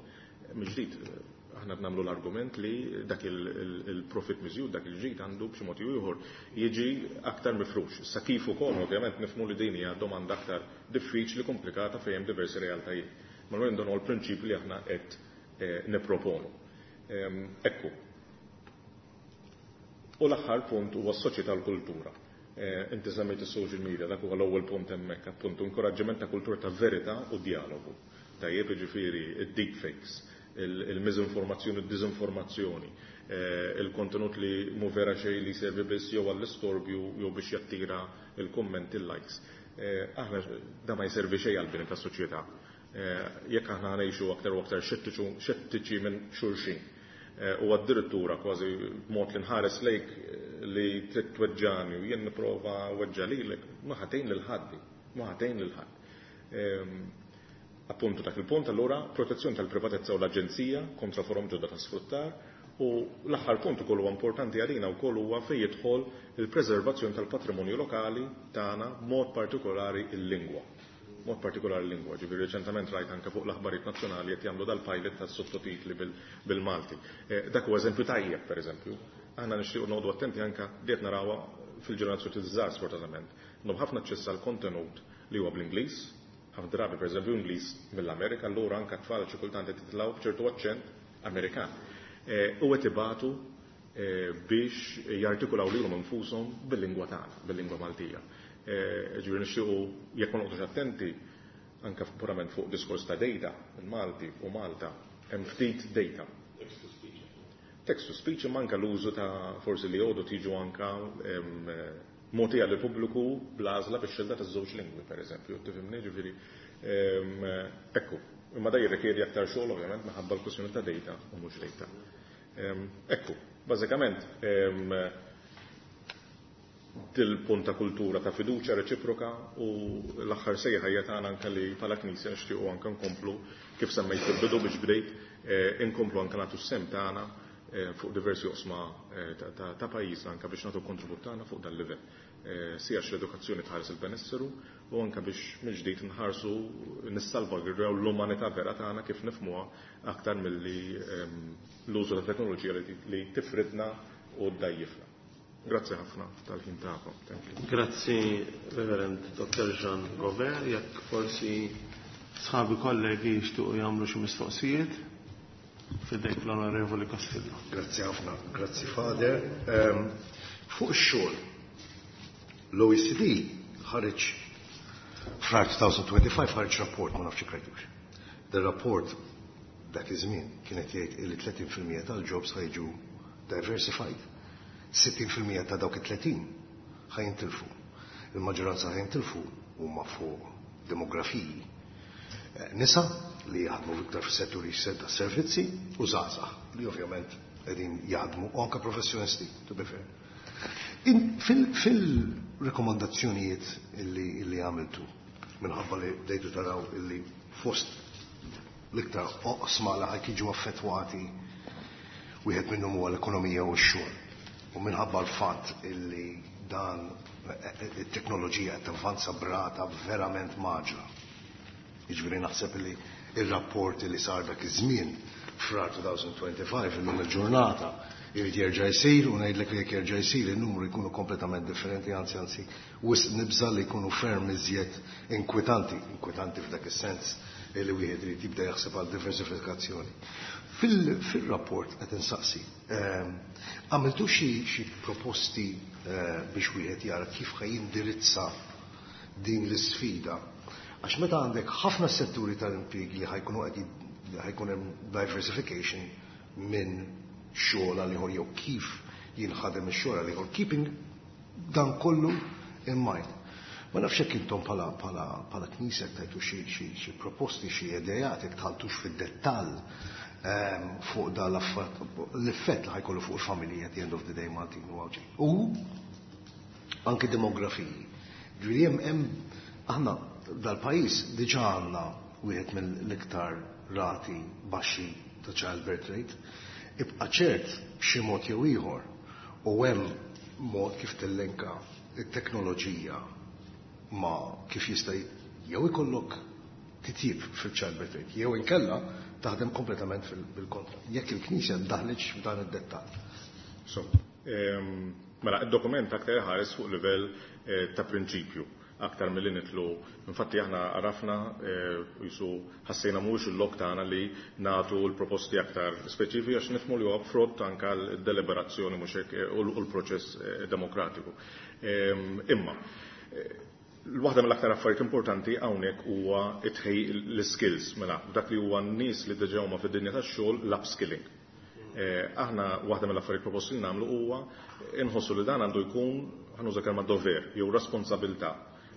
mill-ġdid aħna nagħmlu l-argument li dak il-profit miżjud, dak il-ġid għandu b'xi mod ieħor jiġi aktar mifrux. Sa kif ukoll ovvjament nifhmu li din hija domanda aktar diffiċli, komplikata fejn hemm diversi realtajiet. Ma dan huwa l-prinċipju li aħna qed nipproponu. Ekku. U l-aħħar punt huwa s-soċjetà u l-kultura. Inti semmejt is-social media, dak huwa l-ewwel punt hemmhekk, appuntu inkoraġġiment ta' kultura ta' verità u dialogu. Tajjeb, jiġifieri id-deepfakes, il-miżinformazzjoni, il-diżinformazzjoni, il-kontenut li mu vera xejn li servi biss jew għall-istorbju jew biex jattira il-kummenti, il-likes. Aħna da ma jservi xejn għall-bini tas-soċjetà. Jekk aħna ngħixu aktar u aktar xettiċi minn xulxin, u addirittura kważi b'mod li nħares lejk li trid tweġġani u jien nipprova weġġa lilek, ma ħatejn lil ħaddi, ma ħatejn lil ħadd. Appuntu dak il-punt allura protezzjoni tal-privatezza u l-aġenzija kontra forom ġodda ta' sfruttar, u l-aħħar punt ukoll huwa importanti għalina wkoll huwa fejn jidħol il-preservazzjoni tal-patrimonju lokali tagħna, mod partikolari il-lingwa. Mod partikolari l-lingwa, ġifieri reċentament rajt anke fuq l-aħbarijiet nazzjonali qed jagħmlu dal-pilot tas-sottotitli bil-Malti. Dak huwa eżempju tajjeb, pereżempju. Aħna nixtiequ noqogħdu attenti anke li qed narawha fil-ġenerazzjoni żgħar sfortunatament. Għandhom ħafna aċċess għal kontenut li huwa bl-Ingliż, ħafna drabi pereżempju Ingliż mill-Amerika, allura anke tfal xi kultant qed jitilgħu b'ċertu aċċent Amerikan. U qed ibatu biex jartikulaw lilhom infushom bil-lingwa tagħna, bil-lingwa Maltija. Ġifieri nixtiequ jekk ma noqgħodux attenti anke purament fuq diskors ta' data, il-Malti u Malta hemm ftit data. Text to speech imma anke l-użu ta' forsi li għodu tiġu anke mogħtija lill pubbliku bl-għażla bix-xelda taż-żewġ lingwi pereżempju, tifhimni, ġifieri ekku, imma da jirrikjedi aktar xogħol ovvjament minħabba l-kwistjoni ta' data u mhux data. Ekku, bażikament dil-punt ta' kultura ta' fiduċja reċiproka u l-aħħar sejħa hija tagħna anke li bħala Knisja nixtiequ anke nkomplu kif semmejt fil-bidu biex bdejt, inkomplu anke nagħtu s-sem tagħna fuq diversi oqsma ta' pajjiżna anke biex nagħtu kontribut tagħna fuq dan livell. Sija l-edukazzjoni tħares il-benesseru u anke biex mill-ġdid nħarsu nissalvagwardjaw l-umanità vera tagħna kif nifhmuha aktar milli l-użu ta' teknoloġija li tifridna u ddajjifna. Grazzi ħafna tal-ħin tagħkom. Thank you. Grazzi Reverend Doctor Jean Gover, jekk forsi sħabi kollegi jixtiequ jagħmlu xi mistoqsijiet. Fidejk l-Onorevoli Castillo. Grazzi ħafna, grazzi Father. Fuq ix-xogħol, l-O E C D ħareġ frar twenty twenty-five ħareġ rapport, ma nafx rajtux. Der rapport dak iż-żmien kienet jgħid li tletin fil-mija tal-jobs ħajġu diversified. sittin fil-mija ta' dawk it-tletin ħajintilfu. Il-maġġoranza ħajintilfu huma fuq demografiji. Nisa li jaħdmu iktar fis-setturi ta' servizzi u żgħażagħ li ovvjament qegħdin jaħdmu u anke professjonisti, to be fair. Fil-rekomandazzjonijiet illi għamiltu minħabba li bdejtu taraw illi fost l-iktar oqsma li ħajk jiġu affettwati wieħed minnhom huwa l-ekonomija u x-xogħol. U minħabba l-fatt illi dan it-teknoloġija qed tavvanza brata verament maġra. Jiġifieri naħseb li ir-rapport li sar dak iż-żmien frar twenty twenty-five illum il-ġurnata irid jerġa' jsir u ngħidlek li jekk jerġa' jsir in-numru jkunu kompletament differenti, anzi anzi wisq nibża' li jkunu ferm iżjed inkwetanti, inkwetanti f'dak is-sens li wieħed irid jibda jaħseb għal diversifikazzjoni. Fil-rapport qed insaqsi, għamiltu xi proposti biex wieħed jara kif ħaj jindirizza din l-isfida? Għax meta għandek ħafna setturi tal-impjieg li ħajkunu qed ħajkun hemm diversification minn xogħol għal ieħor jew kif jinħadem ix-xogħol għal ieħor, keeping dan kollu in mind. Ma nafx hekk intom bħala bħala bħala knisja tajtu xi xi xi proposti, xi idejat, jekk tħaltux fid-dettall fuq dan l-effett li ħajkollu fuq il-familji at the end of the day Maltin u Għawdxin. U anke demografiji. Ġifieri hemm hemm Aħna dal-pajjiż diġà għandna wieħed mill-iktar rati baxxi ta' childbirth rate. Ibqa' ċert b'xi mod jew ieħor u hemm mod kif tillinka it-teknoloġija ma' kif jista' jew ikollok titjib fil-childbirth rate, jew inkella taħdem kompletament bil-kontra. Jekk il-Knisja daħlitx f'dan id-dettall. So, mela, id-dokument aktar ħares fuq livell ta' prinċipju, aktar milli nitlu. Infatti aħna għarafna jisu ħassejna mhuwiex il-lok tagħna li nagħtu l-proposti aktar speċifiċi għax nifhmu li huwa frott anke l-deliberazzjoni mhux hekk u l-proċess demokratiku. Imma l-waħda mill-aktar affarijiet importanti hawnhekk huwa l-skills, mela dak li huwa n-nies li diġà huma fid-dinja tax-xogħol, l-upskilling. Aħna waħda mill-affarijiet proposti li nagħmlu huwa inħossu li dan għandu jkun, ħanuża kelma dover jew responsabilità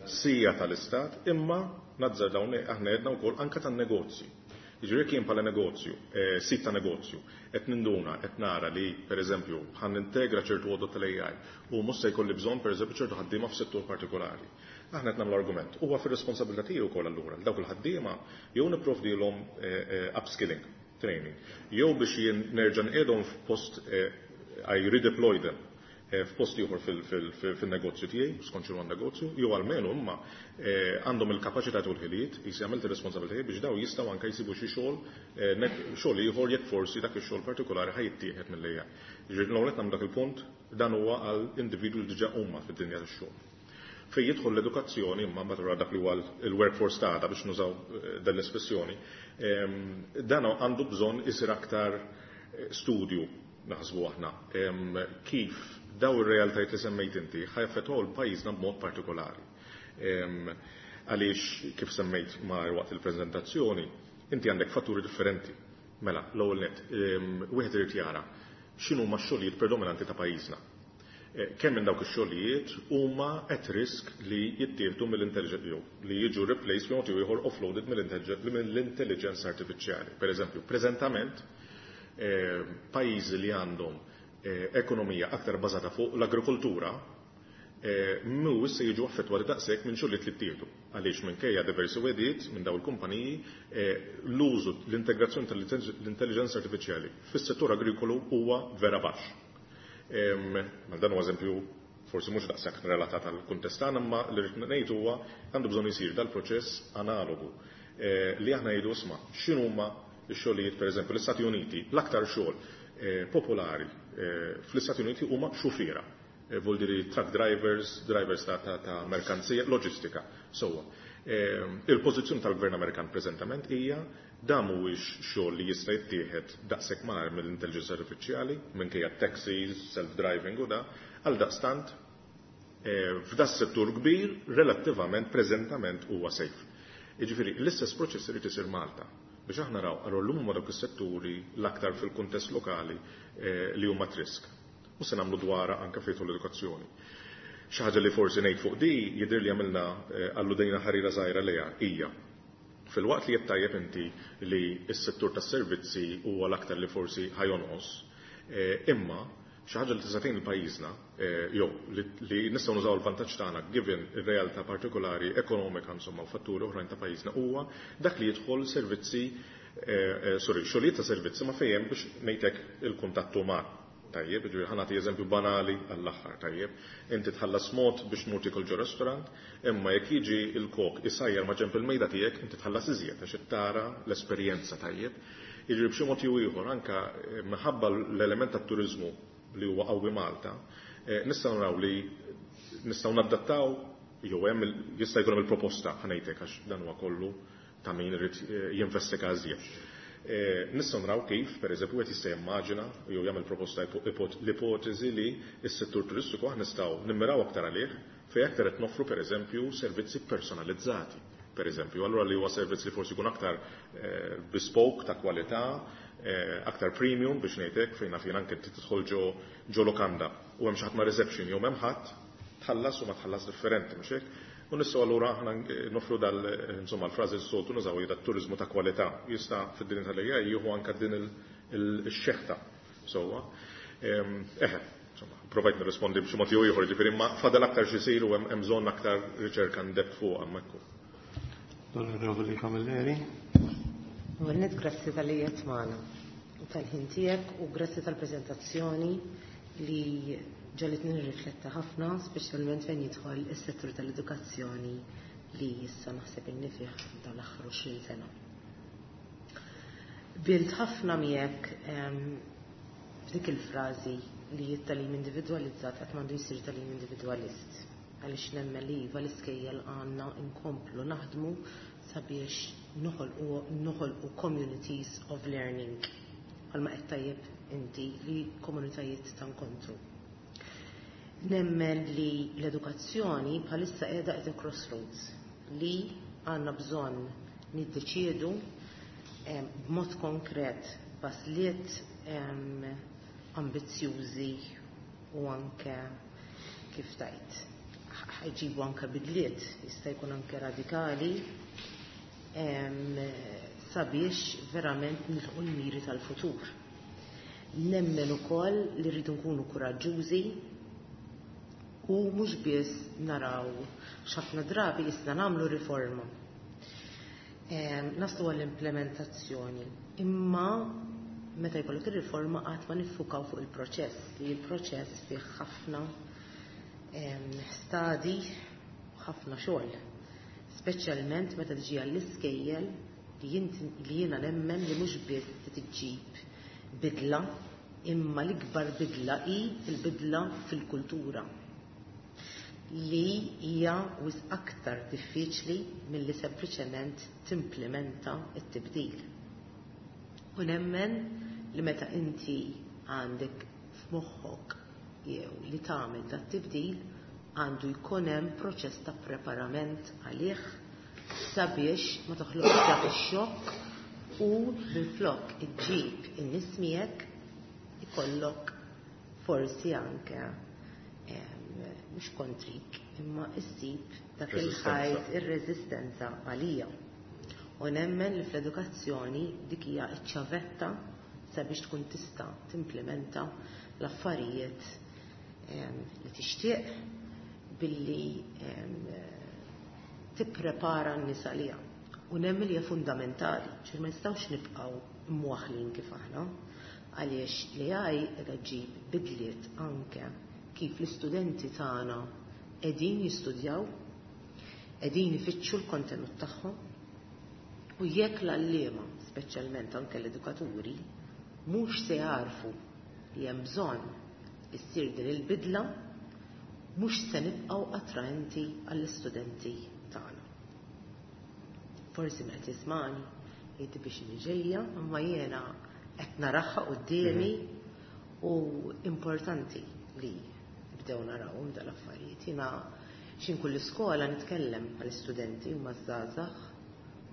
sija tal-istat, imma nazzar dawn aħna għedna wkoll anke tan-negozji. Jiġifieri jekk jien bħala negozju, sit ta' negozju, qed ninduna, qed nara li pereżempju ħan nintegra ċertu għodot tal-A I u mhux se jkolli bżonn pereżempju ċertu ħaddiema f'settur partikolari. Aħna qed nagħmlu argument. Huwa fir-responsabilità tiegħi wkoll allura li dawk il-ħaddiema jew nipprovdilhom upskilling, training, jew biex jien nerġa' nqiegħdhom f'post, I redeploy them f'post ieħor fil-negozju tiegħi, skont x'inhu n-negozju, jew almenu imma għandhom il-kapaċità u l-ħiliet, jisi għamilt ir-responsabilità biex daw jistgħu anke jsibu xi xogħol xogħol ieħor jekk forsi dak ix-xogħol partikolari ħa jittieħed mill-A I. Jiġifieri l-ewwel qed nagħmlu dak il-punt, dan huwa għal individwi li diġà huma fid-dinja tax-xogħol. Fejn jidħol l-edukazzjoni, imma mbagħad dak li huwa l-workforce tagħna biex nużaw dan l-espressjoni, dan għandu bżonn isir aktar studju naħsbu aħna kif daw ir-realtajiet li semmejt inti ħajaffettwaw l-pajjiżna b'mod partikolari. Għaliex kif semmejt ma' waqt il-preżentazzjoni, inti għandek fatturi differenti. Mela, l-ewwel nett, wieħed irid jara x'inhu huma x-xogħlijiet predominanti ta' pajjiżna. Kemm minn dawk ix-xogħlijiet huma at risk li jittieħdu mill-intelligence jew li jiġu replaced b'mod jew ieħor offloaded mill-intelligence artifiċjali. Per eżempju, preżentament pajjiżi li għandhom ekonomija aktar bażata fuq l-agrikoltura mhux se jiġu affettwati daqshekk minn xogħlijiet li ttieħdu. Għaliex minkejja diversi wegħdiet minn dawn il-kumpaniji, l-użu, l-integrazzjoni tal-intelligenza artifiċjali fis-settur agrikolu huwa vera baxx. Ma dan huwa eżempju forsi mhux daqshekk relatat għal kuntest tagħna, imma li rrid ngħid huwa għandu bżonn isir dal-proċess analogu li aħna ngħidu isma' x'inhuma x-xogħlijiet, pereżempju l-Istati Uniti, l-aktar xogħol popolari fl-Istati Uniti huma xufiera. Vuol dire truck drivers, drivers ta', ta, ta' merkanzija, loġistika. Sewwa. Il-pożizzjoni tal-Gvern Amerikan preżentament hija dan mhuwiex xogħol li jista' jittieħed daqshekk malajr mill-intelligenza artifiċjali, minkejja taxis, self-driving u da, għal daqstant f'da settur kbir relattivament preżentament huwa safe. Jiġifieri l-istess proċess irid isir Malta biex aħna naraw allura llum huma dawk is-setturi l-aktar fil-kuntest lokali li huma at risk. U se nagħmlu dwarha anke fejn l-edukazzjoni. Xi ħaġa li forsi ngħid fuq di jidher li għamilna alludejna ħarira żgħira lejha hija fil-waqt li qed tajjeb inti li s-settur tas-servizzi huwa l-aktar li forsi ħajonqos, imma xi ħaġa li tista' tgħin il-pajjiżna jew li nistgħu nużaw il-vantaġġ tagħna given ir-realtà partikolari ekonomika insomma u fatturi oħrajn ta' pajjiżna huwa dak li jidħol servizzi, sorry, xogħlijiet ta' servizzi ma fejn biex ngħidlek il-kuntatt uman. Tajjeb, ġifieri ħa nagħti eżempju banali għall-aħħar, tajjeb. Inti tħallas mod biex tmur tiekol ġo restaurant, imma jekk jiġi il-kok isajjar ma' ġenb il-mejda tiegħek, inti tħallas iżjed għax tara l-esperjenza, tajjeb. Jiġifieri b'xi mod jew ieħor anke minħabba l-element tat-turiżmu li huwa qawwi Malta, nistgħu naraw li nistgħu nadattaw jew hemm jista' jkun hemm il-proposta ħa ngħidlek għax dan huwa kollu ta' min irid jinvestiga iżjed. Nistgħu naraw kif, pereżempju, qed jista' jimmaġina jew jagħmel proposta l-ipoteżi li s-settur turistiku aħna nistgħu nimmiraw aktar għalih fejn aktar qed noffru pereżempju servizzi personalizzati. Pereżempju, allura li huwa servizz li forsi jkun aktar bespoke ta' kwalità, aktar premium biex ngħidlek fejn naf jien anke tidħol ġo ġo lokanda u hemm xi ħadd ma' reception jew m'hemm ħadd, tħallas u ma tħallas differenti, mhux hekk? U nistgħu allura aħna nofru dal, insomma, l-frażi s-soltu nużaw hija dat-turiżmu ta' kwalità. Jista' fid-dinja tal-A I jieħu anke din il-xeħta. Sewwa. Eħe, Provajt nirrispondi b'xi mod jew ieħor, ġifieri ma fadal aktar x'isir u hemm bżonn aktar riċerka ndeb fuq hemmhekk. L-Onorevoli Camilleri. Għalnet grazzi tal-li qed magħna u tal-ħin tiegħek u grazzi tal-preżentazzjoni li ġalitni nirrifletta ħafna, speċjalment fejn jidħol is-settur tal-edukazzjoni li issa naħseb inni fih dawn l-aħħar għoxrin sena. Bilt ħafna miegħek f'dik il-frażi li t-tagħlim individwalizzat qatt m'għandu jsir tagħlim individwalist. Għaliex nemmen li iva l-iskejjel għandna nkomplu naħdmu sabiex noħolqu communities of learning. Bħalma qed tajjeb inti li komunitajiet ta' inkontru. Nemmen li l-edukazzjoni bħalissa qiegħda at a crossroads li għandna bżonn niddeċiedu b'mod konkret b'għażliet ambizzjużi u anke kif tajt ħajġibu anke bidliet jista' jkun anke radikali sabiex verament nilħqu l-miri tal-futur. Nemmen ukoll li rridu nkunu kuraġġużi u mhux biss naraw x'ħafna drabi issa nagħmlu riforma. Naslu għall-implementazzjoni. Imma meta jkollok ir-riforma qatt ma niffukaw fuq il-proċess, li l-proċess fih ħafna stadi u ħafna xogħol. Speċjalment meta tiġi għall-iskejjel li jiena nemmen li mhux biss tiġġib bidla, imma l-ikbar bidla hi l-bidla fil-kultura li hija wisq aktar diffiċli milli sempliċement timplementa t-tibdil. U nemmen li meta inti għandek f'moħħok jew li tagħmel dat tibdil għandu jkun hemm proċess ta' preparament għalih sabiex ma toħloqx dak ix-xokk u minflok iġġib in-nies miegħek ikollok forsi anke mhux kontrik imma issib dak il-ħajt ir-reżistenza għalija. U nemmen li fl-edukazzjoni dik hija ċ-ċavetta sabiex tkun tista' timplementa l-affarijiet li tixtieq billi tipprepara n-nies għaliha. U nemmen li hija fundamentali, ċer ma nistgħux nibqgħu mwaħlin kif aħna, għaliex li għaj qiegħda ġġib bidliet anke kif l-istudenti tagħna qegħdin jistudjaw, qegħdin ifittxu l-kontenut tagħhom, u jekk l-għalliema, speċjalment anke l-edukaturi, mhux se jarfu li hemm bżonn issir din il-bidla, mhux se nibqgħu attraenti għall-istudenti tagħna. Forsi meta tismani jgħid biex ġejja, imma jiena qed naraha quddiemi u importanti li nibdew narawhom dal-affarijiet. Jiena x'in kull iskola nitkellem mal-istudenti u maż-żgħażagħ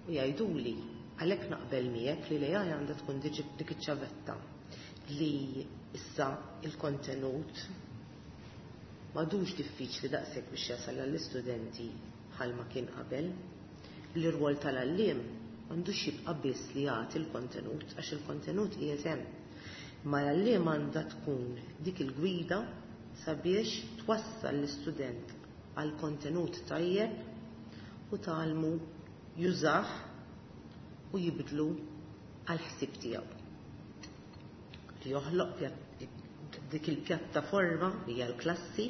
u jgħiduli għalhekk naqbel miegħek li l-A I għandha tkun dik iċ-ċavetta li issa il-kontenut m'għadux diffiċli daqshekk biex jasal għall-istudenti bħalma kien qabel. L-irwol tal-għalliem m'għandux jibqa' biss li jagħti l-kontenut għax il-kontenut qiegħed hemm. Ma l-għalliem għandha tkun dik il-gwida sabiex twassal l-istudent għal kontenut tajjeb u tgħallmu jużah u jibdlu għal ħsieb tiegħu. Li joħloq dik il-pjattaforma li hija l-klassi,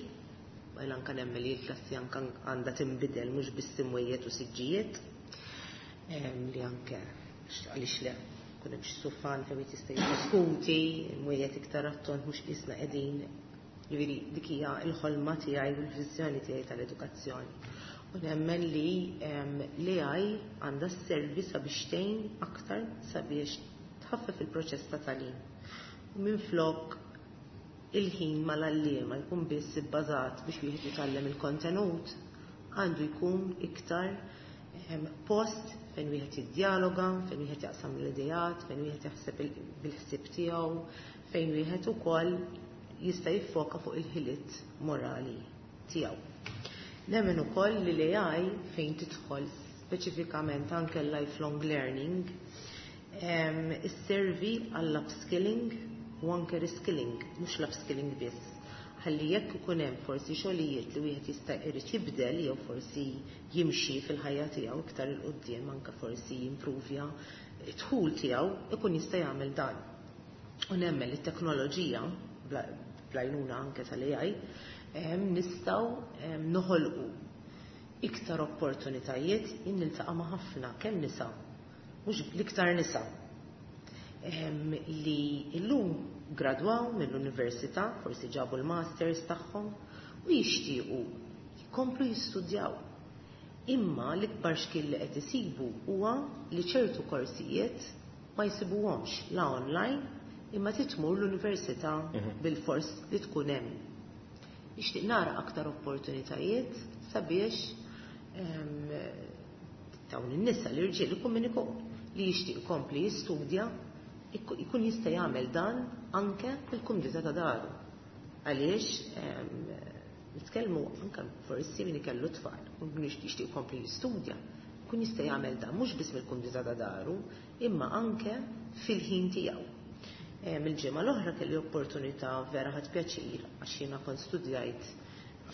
u anke nemmen li l-klassi anke għandha tinbidel mhux biss imwejjed u siġġijiet, li anke għaliex le kun hemm xi sufan fejn wieħed jista' jiddiskuti, imwejjed iktar attont mhux qisna qegħdin. Ġifieri dik hija l-ħolma tiegħi u l-viżjoni tiegħi tal-edukazzjoni. U nemmen li l-A I għandha sservi sabiex tgħin aktar sabiex tħaffef il-proċess ta' tagħlim. U minflok il-ħin mal-għalliema jkun biss ibbażat biex wieħed jitgħallem il-kontenut, għandu jkun iktar post fejn wieħed jiddjaloga, fejn wieħed jaqsam l-idejat, fejn wieħed jaħseb bil-ħsieb tiegħu, fejn wieħed ukoll jista' jiffoka fuq il-ħiliet morali tiegħu. Nemmen ukoll li l-A I fejn tidħol speċifikament anke l-lifelong learning isservi għall-upskilling u anke reskilling, mhux l-upskilling biss, Ħalli jekk ikun hemm forsi xogħlijiet li wieħed jista' jrid jibdel jew forsi jimxi fil-ħajja tiegħu iktar 'il quddiem, anke forsi jimprovja d-dħul tiegħu, ikun jista' jagħmel dan. U nemmen li t-teknoloġija bl-għajnuna anke tal-A I nistgħu noħolqu iktar opportunitajiet. Jien niltaqa' ma' ħafna kemm nisa, mhux l-iktar nisa, li llum gradwaw mill-università, forsi ġabu l-masters tagħhom u jixtiequ jkomplu jistudjaw. Imma l-ikbar xkil li qed isibu huwa li ċertu korsijiet ma jsibuhomx la online, imma titmur l-università mhm. bil-fors li tkun hemm. Nixtieq nara aktar opportunitajiet sabiex dawn in-nisa, l-irġiel, ikun min ikun li jixtieq ikompli jistudja, ikun jista' jagħmel dan anke fil-kumdità ta' daru. Għaliex nitkellmu anke forsi min ikellu tfal u min jixtieq ikompli jistudja, ikun jista' jagħmel dan mhux biss mill-kumdità ta' daru, imma anke fil-ħin tiegħu. Mill-ġimgħa l-oħra kelli opportunità, vera ħadt pjaċir, għax jiena kont studjajt,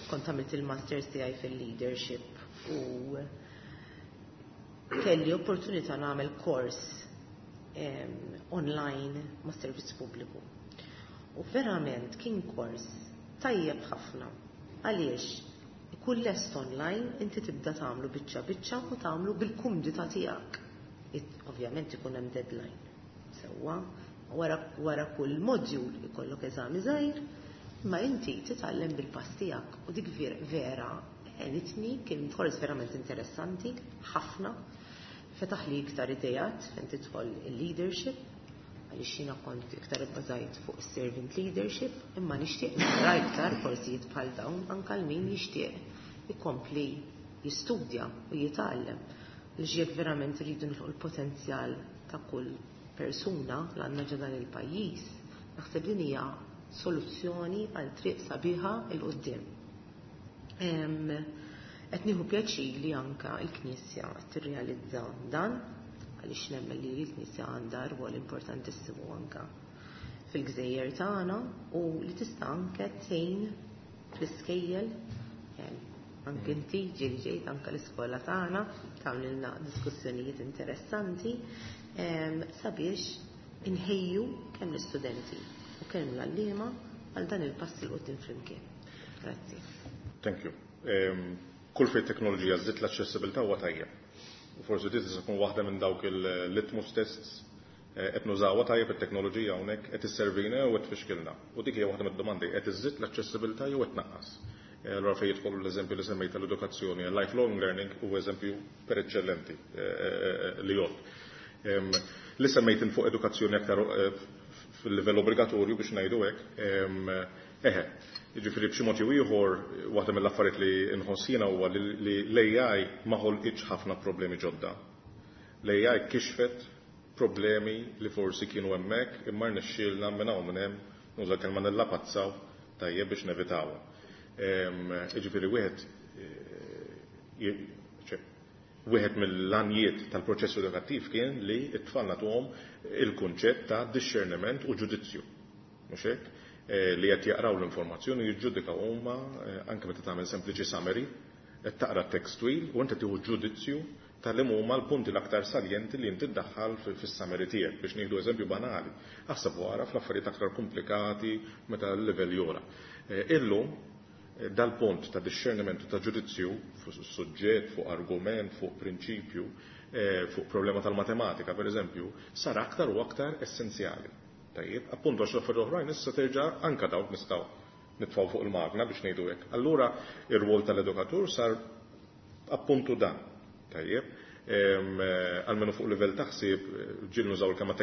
kont għamilt il-masters tiegħi fil-leadership u kelli opportunità nagħmel kors online ma' servizz pubbliku. U verament kien kors tajjeb ħafna. Għaliex ikun lest online, inti tibda tagħmlu biċċa biċċa u tagħmlu bil-kumdità tiegħek. Ovvjament ikun hemm deadline. Sewwa, wara, wara kull module ikollok eżami żgħir, imma inti titgħallem bil-pass tiegħek u dik vera għenitni, kien kors verament interessanti, ħafna. Fetaħ li iktar idejat fejn tidħol il-leadership, għaliex jiena kont iktar ibbażajt fuq servant leadership, imma nixtieq nara iktar korsijiet bħal dawn anke għal min jixtieq ikompli jistudja u jitgħallem. Għaliex jekk verament rridu nilħu l-potenzjal ta' kull persuna li għandna ġo dan il-pajjiż, naħseb din hija soluzzjoni għal triq sabiħa 'l quddiem. Qed nieħu pjaċir li anka l-Knisja qed tirrealizza dan, għaliex nemmen li l-Knisja għandha rwol importantissimu anka fil-gżejjer tagħna u li tista' anke tgħin fl-iskejjel. Anke inti ġieli ġejt anke l-iskola tagħna tagħmlilna diskussjonijiet interessanti sabiex inħejju kemm l-istudenti u kemm l-għalliema għal dan il-pass 'il quddiem flimkien. Grazzi. Thank you. Kull fejn teknoloġija żżid l-aċċessibilità huwa tajjeb. U forsi di tista' tkun waħda minn dawk il-litmus tests: qed nużawha tajjeb it-teknoloġija hawnhekk, qed isservina u qed tfixkilna? U dik hija waħda mid-domandi: qed iżżid l-aċċessibilità jew qed tnaqqas? Allora fejn jidħol l-eżempju li semmejt tal-edukazzjoni, lifelong learning u eżempju per eccellenti li jgħod. Li semmejt fuq edukazzjoni aktar fil-livell obbligatorju, biex ngħidu hekk, eħe, jiġifieri b'xi mod jew ieħor waħda mill-affarijiet li nħoss jiena huwa li l-A I ma ħolqitx ħafna problemi ġodda. L-A I kixfet problemi li forsi kienu hemmhekk imma rnexxielna minn hawn minn hemm, nuża kelma, nillapazzaw tajjeb biex nevitawhom. Jiġifieri wieħed wieħed mill-għanijiet tal-proċess edukattiv kien li t-tfal nagħtuhom il-kunċett ta' discerniment u ġudizzju. Mhux hekk? Li qed jaqraw l-informazzjoni, jiġġudikaw huma, anke meta tagħmel sempliċi summary, qed taqra text twil u inti tieħu ġudizzju tal huma l-punti l-aktar saljenti li inti ddaħħal fis-summary tiegħek, biex nieħdu eżempju banali. Aħseb wara fl-affarijiet aktar komplikati meta l-livell jogħla. Illum dal-punt ta' discerniment u ta' ġudizzju fuq suġġett, fuq argument, fuq prinċipju, fuq problema tal-matematika, per eżempju, sar aktar u aktar essenzjali. Tajjeb, appunto għax l-affarijiet oħrajn issa terġa' anka dawk nistgħu nitfgħu fuq il-magna, biex ngħidu hekk. Allura ir-rwol tal-edukatur sar appuntu dan. Tajjeb, almenu fuq livell taħsib, ġieli nużaw il-kelma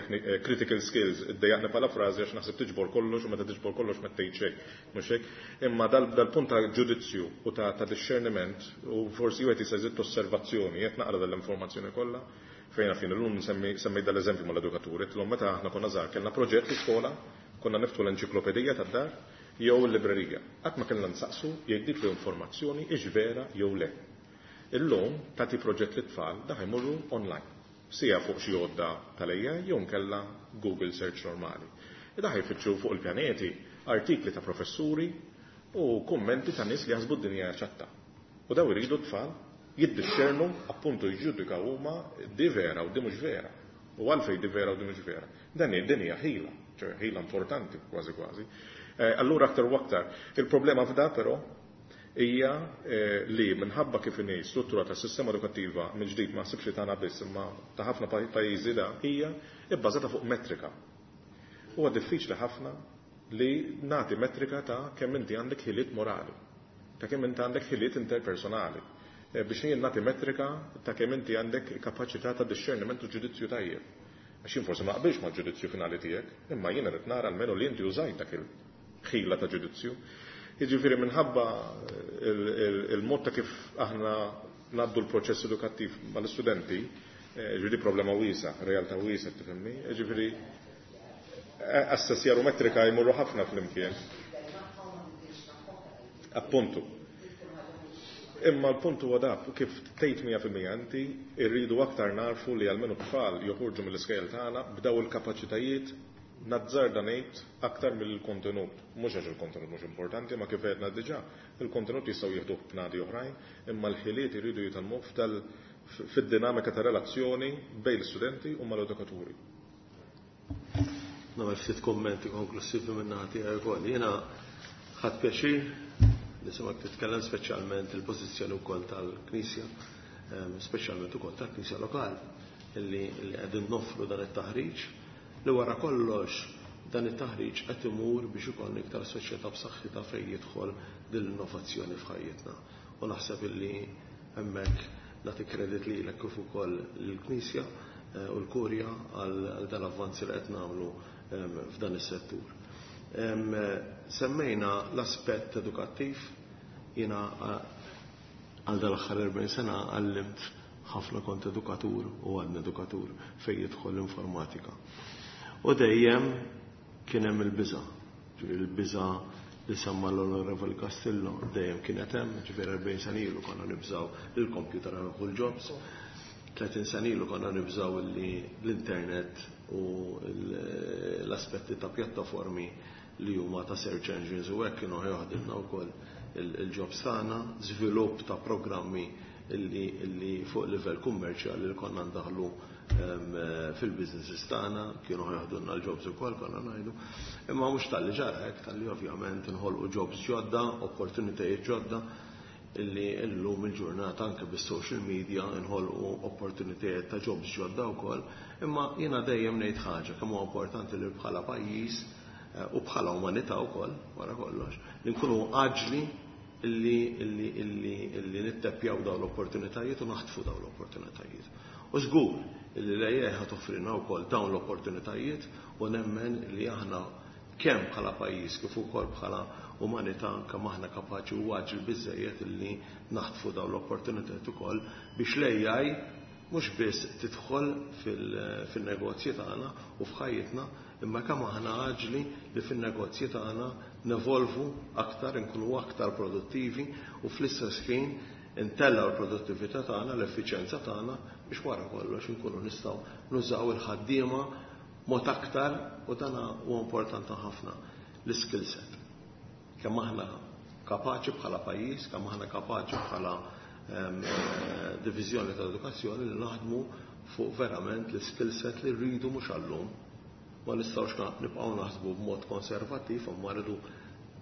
critical skills, iddejjaqni bħala frażi għax naħseb tiġbor kollox u meta tiġbor kollox ma tgħid xejn, mhux hekk? Imma dal-punt ta' ġudizzju u ta' discerniment u forsi wieħed jista' jżid osservazzjoni, qed naqra dal-informazzjoni kollha fejn fin illum semmejt dal-eżempju mal-edukaturi, tlhom meta aħna konna żgħar kellna proġett l-iskola, konna niftħu l-enċiklopedija tad-dar jew l-librerija. Qatt ma kellna nsaqsu jekk dik l-informazzjoni hix vera jew le. Illum tagħti proġett lit-tfal, da jmorru online. Sija fuq xi għodda tal-A I jew nkella Google search normali. Da jfittxu fuq il-pjaneti artikli ta' professuri u kummenti ta' nies li jaħsbu d-dinja ċatta. U daw iridu tfal jiddixxernu appuntu jġudikaw huma di vera u di mhux vera. U għalfejn di vera u di mhux vera. Dan din hija ħila, ċoè ħila importanti kważi kważi. Allura aktar u aktar. Il-problema f'da però hija li minħabba kif inhi struttura tas-sistema edukattiva mill-ġdid ma nsibx li tagħna biss imma ta' ħafna pajjiżi da hija bbażata fuq metrika. Huwa diffiċli ħafna li nagħti metrika ta' kemm inti għandek ħiliet morali, ta' kemm inti għandek ħiliet interpersonali, biex jien nagħti metrika ta' kemm inti għandek kapaċità ta' discerniment u ġudizzju tajjeb. Għax jien forsi ma qbilx mal-ġudizzju finali tiegħek, imma jien irid nara almenu li inti użajt dak il-ħila ta' ġudizzju. Jiġifieri minħabba il-mod ta' kif aħna ngħaddu l-proċess edukattiv mal-istudenti, ġifieri problema wiesa, realtà wiesa tifhimni, ġifieri assessjar u metrika jmorru ħafna flimkien. Appuntu. Imma l-punt huwa dak kif tgħid mija fil-mija inti rridu aktar narfu li almenu tfal joħorġu mill-iskejjel tagħna b'daw il-kapaċitajiet nazzarda ngħid aktar mill-kontenut. Mhux għax il-kontenut mhux importanti, ma kif għedna diġà, il-kontenut jistgħu jieħduh b'nadi oħrajn, imma l-ħiliet iridu jitgħallmuh fid-dinamika ta' relazzjoni bejn l-istudenti u mal-edukaturi. Nagħmel ftit kommenti konklusivi minn naħa tiegħi wkoll. Jiena ħadt pjaċir nisimgħek titkellem speċjalment il-pożizzjoni wkoll tal-Knisja, speċjalment ukoll tal-Knisja lokali illi qegħdin noffru dan it-taħriġ li wara kollox dan it-taħriġ qed imur biex ikollna iktar soċjetà b'saħħitha fejn jidħol din l-innovazzjoni f'ħajjitna. U naħseb illi hemmhekk nagħti kredit lilek kif ukoll lill-Knisja u l-Kurja għal dan l-avvanzi li qed nagħmlu f'dan is-settur. Semmejna l-aspett edukattiv, jiena għal dal-aħħar erbgħin sena għallimt ħafna, kont edukatur u għadni edukatur fejn jidħol l-informatika. U dejjem kien hemm il-biża', ġifieri il-biża' li semma l-Onorevoli Castillo dejjem kienet hemm, ġifieri erbgħin sena ilu konna nibżgħu li l-computer ħa l-jobs, tletin sena ilu konna nibżgħu li l-internet u l-aspetti ta' pjattaformi li huma ta' search engines u hekk kienu ħjoħdilna wkoll il-jobs tagħna, żvilupp ta' programmi illi fuq livell kummerċjali li konna ndaħlu fil-businesses tagħna kienu ħjoħdulna l-jobs ukoll konna ngħidu. Imma mhux talli ġara hekk, talli ovvjament inħolqu jobs ġodda, opportunitajiet ġodda illi llum il-ġurnata anke bis-social media nħolqu opportunitajiet ta' jobs ġodda wkoll. Imma jiena dejjem ngħid ħaġa kemm huwa importanti li bħala pajjiż u bħala umanità wkoll wara kollox li nkunu aġli illi illi illi illi nittepjaw dawn l-opportunitajiet u naħtfu dawn l-opportunitajiet. U żgur illi l-A I ħa toffrilna wkoll dawn l-opportunitajiet u nemmen li aħna kemm bħala pajjiż kif ukoll bħala umanità kemm aħna kapaċi u aġli biżejjed illi naħtfu dawn l-opportunitajiet ukoll biex l-A I mhux biss tidħol fil-negozji tagħna u f'ħajjitna, imma kemm aħna aġli li fin-negozji tagħna nevolvu aktar, inkunu aktar produttivi u fl-istess ħin intellgħu l-produttività tagħna, l-effiċjenza tagħna biex wara kollox inkunu nistgħu nużaw il-ħaddiema mod aktar, u dan huwa importanti ħafna, l-skill set. Kemm aħna kapaċi bħala pajjiż, kemm aħna kapaċi bħala diviżjoni ta' edukazzjoni li naħdmu fuq verament l-skill set li rridu mhux għallum. Ma nistgħux nibqgħu naħsbu b'mod konservattiv, imma rridu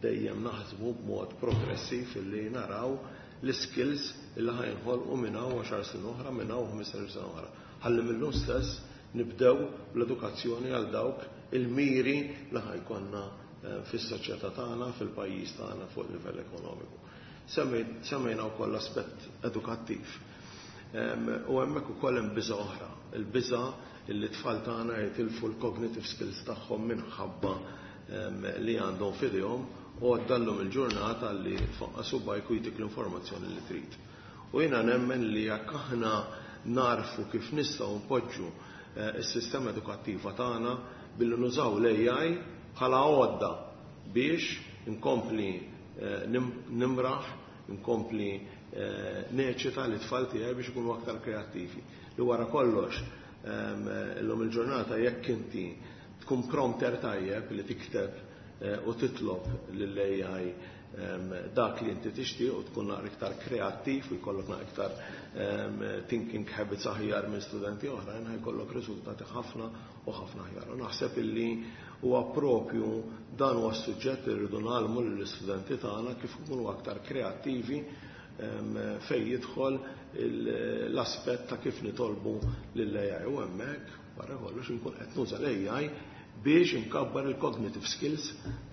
dejjem naħsbu b'mod progressiv illi naraw l-skills illi ħa jinħolqu minn hawn għaxar snin oħra, minn hawn ħmistax sena oħra. Ħalli mill-lum stess nibdew l-edukazzjoni għal dawk il-miri li ħa jkollna fis-soċjetà tagħna, fil-pajjiż tagħna fuq livell ekonomiku. Semmejna wkoll l-aspett edukattiv. U hemmhekk ukoll hemm biża' oħra, il-biża' illi tfal tagħna jitilfu l-cognitive skills tagħhom minħabba li għandhom f'idejhom u għaddallhom il-ġurnata li tfaqqas subgħajk u jtik l-informazzjoni li trid. U jiena nemmen li jekk aħna narfu kif nistgħu npoġġu s-sistema edukattiva tagħna billi nużaw l-A I bħala għodda biex inkompli nimraħ, inkompli neċita li tfal tiegħi biex ikunu aktar kreattivi. Li wara kollox illum il-ġurnata jekk inti tkun prompter tajjeb li tikteb u titlob lill-A I dak li inti tixtieq u tkun naqra iktar kreattiv u jkollok naqra iktar thinking habits aħjar minn studenti oħrajn, ħajkollok riżultati ħafna u ħafna aħjar. U naħseb illi huwa propju dan huwa s-suġġett li rridu nagħlmu lill-istudenti tagħna kif ikunu aktar kreattivi fejn jidħol l-aspett ta' kif nitolbu lill-A I u hemmhekk wara kollox inkun qed nuża l-A I biex inkabbar il-cognitive skills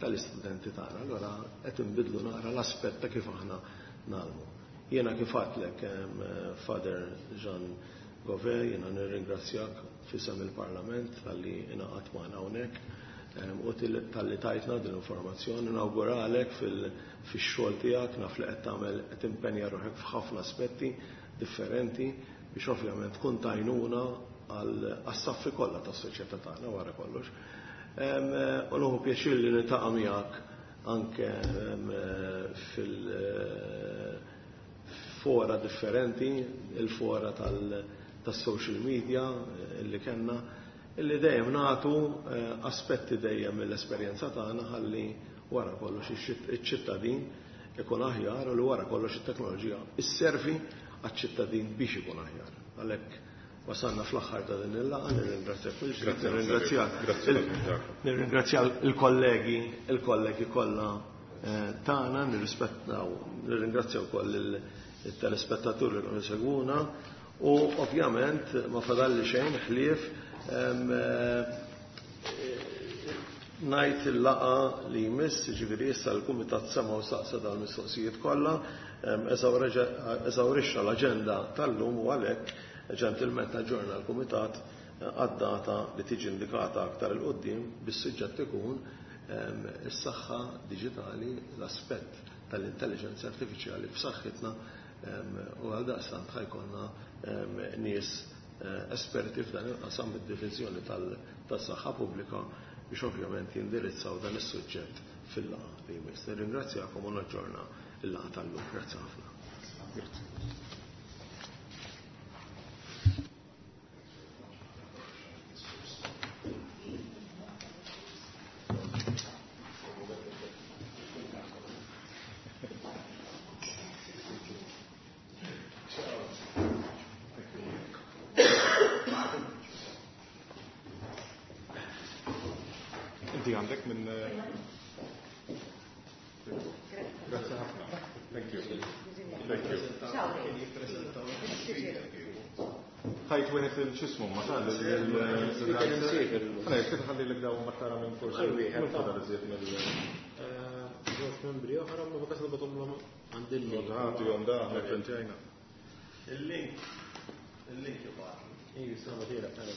tal-istudenti tagħna. Allora qed inbidlu naqra l-aspett ta' kif aħna nagħlmu. Jiena kif għadtlek, Father Jean Gouveia, jiena nirringrazzjak f'isem il-Parlament talli ingħaqadt magħna hawnhekk u talli tajtna din l-informazzjoni. Nawguralek fix-xogħol tiegħek, naf li qed tagħmel qed impenja ruħek f'ħafna aspetti differenti biex ovvjament tkun tajnuna għas-saffi kollha tas-soċjetà tagħna wara kollox. U nieħu pjaċir li niltaqa' miegħek anke fil-fora differenti, il-fora tas-social media illi kellna, illi dejjem nagħtu aspetti dejjem mill-esperjenza tagħna ħalli wara kollox iċ-ċittadin ikun aħjar u li wara kollox it-teknoloġija isservi għaċ-ċittadin biex ikun aħjar. Għalhekk wasalna fl-aħħar ta' din il-laqgħa, nirringrazzjak nirringrazzja nirringrazzja il-kollegi, il-kollegi kollha tagħna, nirrispettaw, nirringrazzja wkoll il-telespettaturi li kienu segwuna u ovvjament ma fadalli xejn ħlief ngħid il-laqgħa li jmiss, jiġifieri issa l-Kumitat sema' u saqsa dal-mistoqsijiet kollha, eżawrixxa l-aġenda tal-lum u għalhekk ġentilment aġġorna l-Kumitat għad-data li tiġi indikata aktar il-qoddim bis-suġġett ikun is-saħħa diġitali, l-aspett tal-intelligenza artifiċjali f'saħħitna u għaldaqstant ħajkonna nies esperti f'dan il-qasam mid-diviżjoni tas-saħħa pubblika biex ovvjament jindirizzaw dan is-suġġett fil-laqgħa li jmiss. Nirringrazzjakom u naġġorna l-laqgħa tal-lum. Grazzi ħafna. Grazzi. Inti għandek minn Grazie ħafna. Thank you. Thank you. Ħajt wieħed il-xismu ma tal il-. Ħana jekk tħalli lek dawn ma tara minn forsi. Minn fadal iżjed mill Żewġ membri oħra ma bakas nibgħathom għand il-link. Ħadu jom da aħna printjajna. Il-link. Il-link jibgħat. Iju, sama tiegħek tara.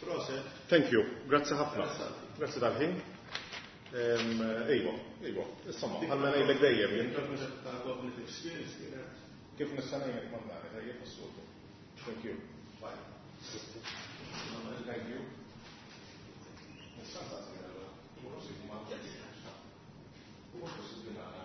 Proset. Thank you. Grazzi ħafna. Grazzi tal-ħin. Ejwa, ejwa. Insomma, ħalla ngħidlek dejjem jien. Ta' cognitive skills kienet. Kif nista' ngħidlek ma nara tajjeb is-soltu. Thank you. Bye. Thank you. Nista' nsaqsi allora. Huwa possibbli ma Huwa possibbli nara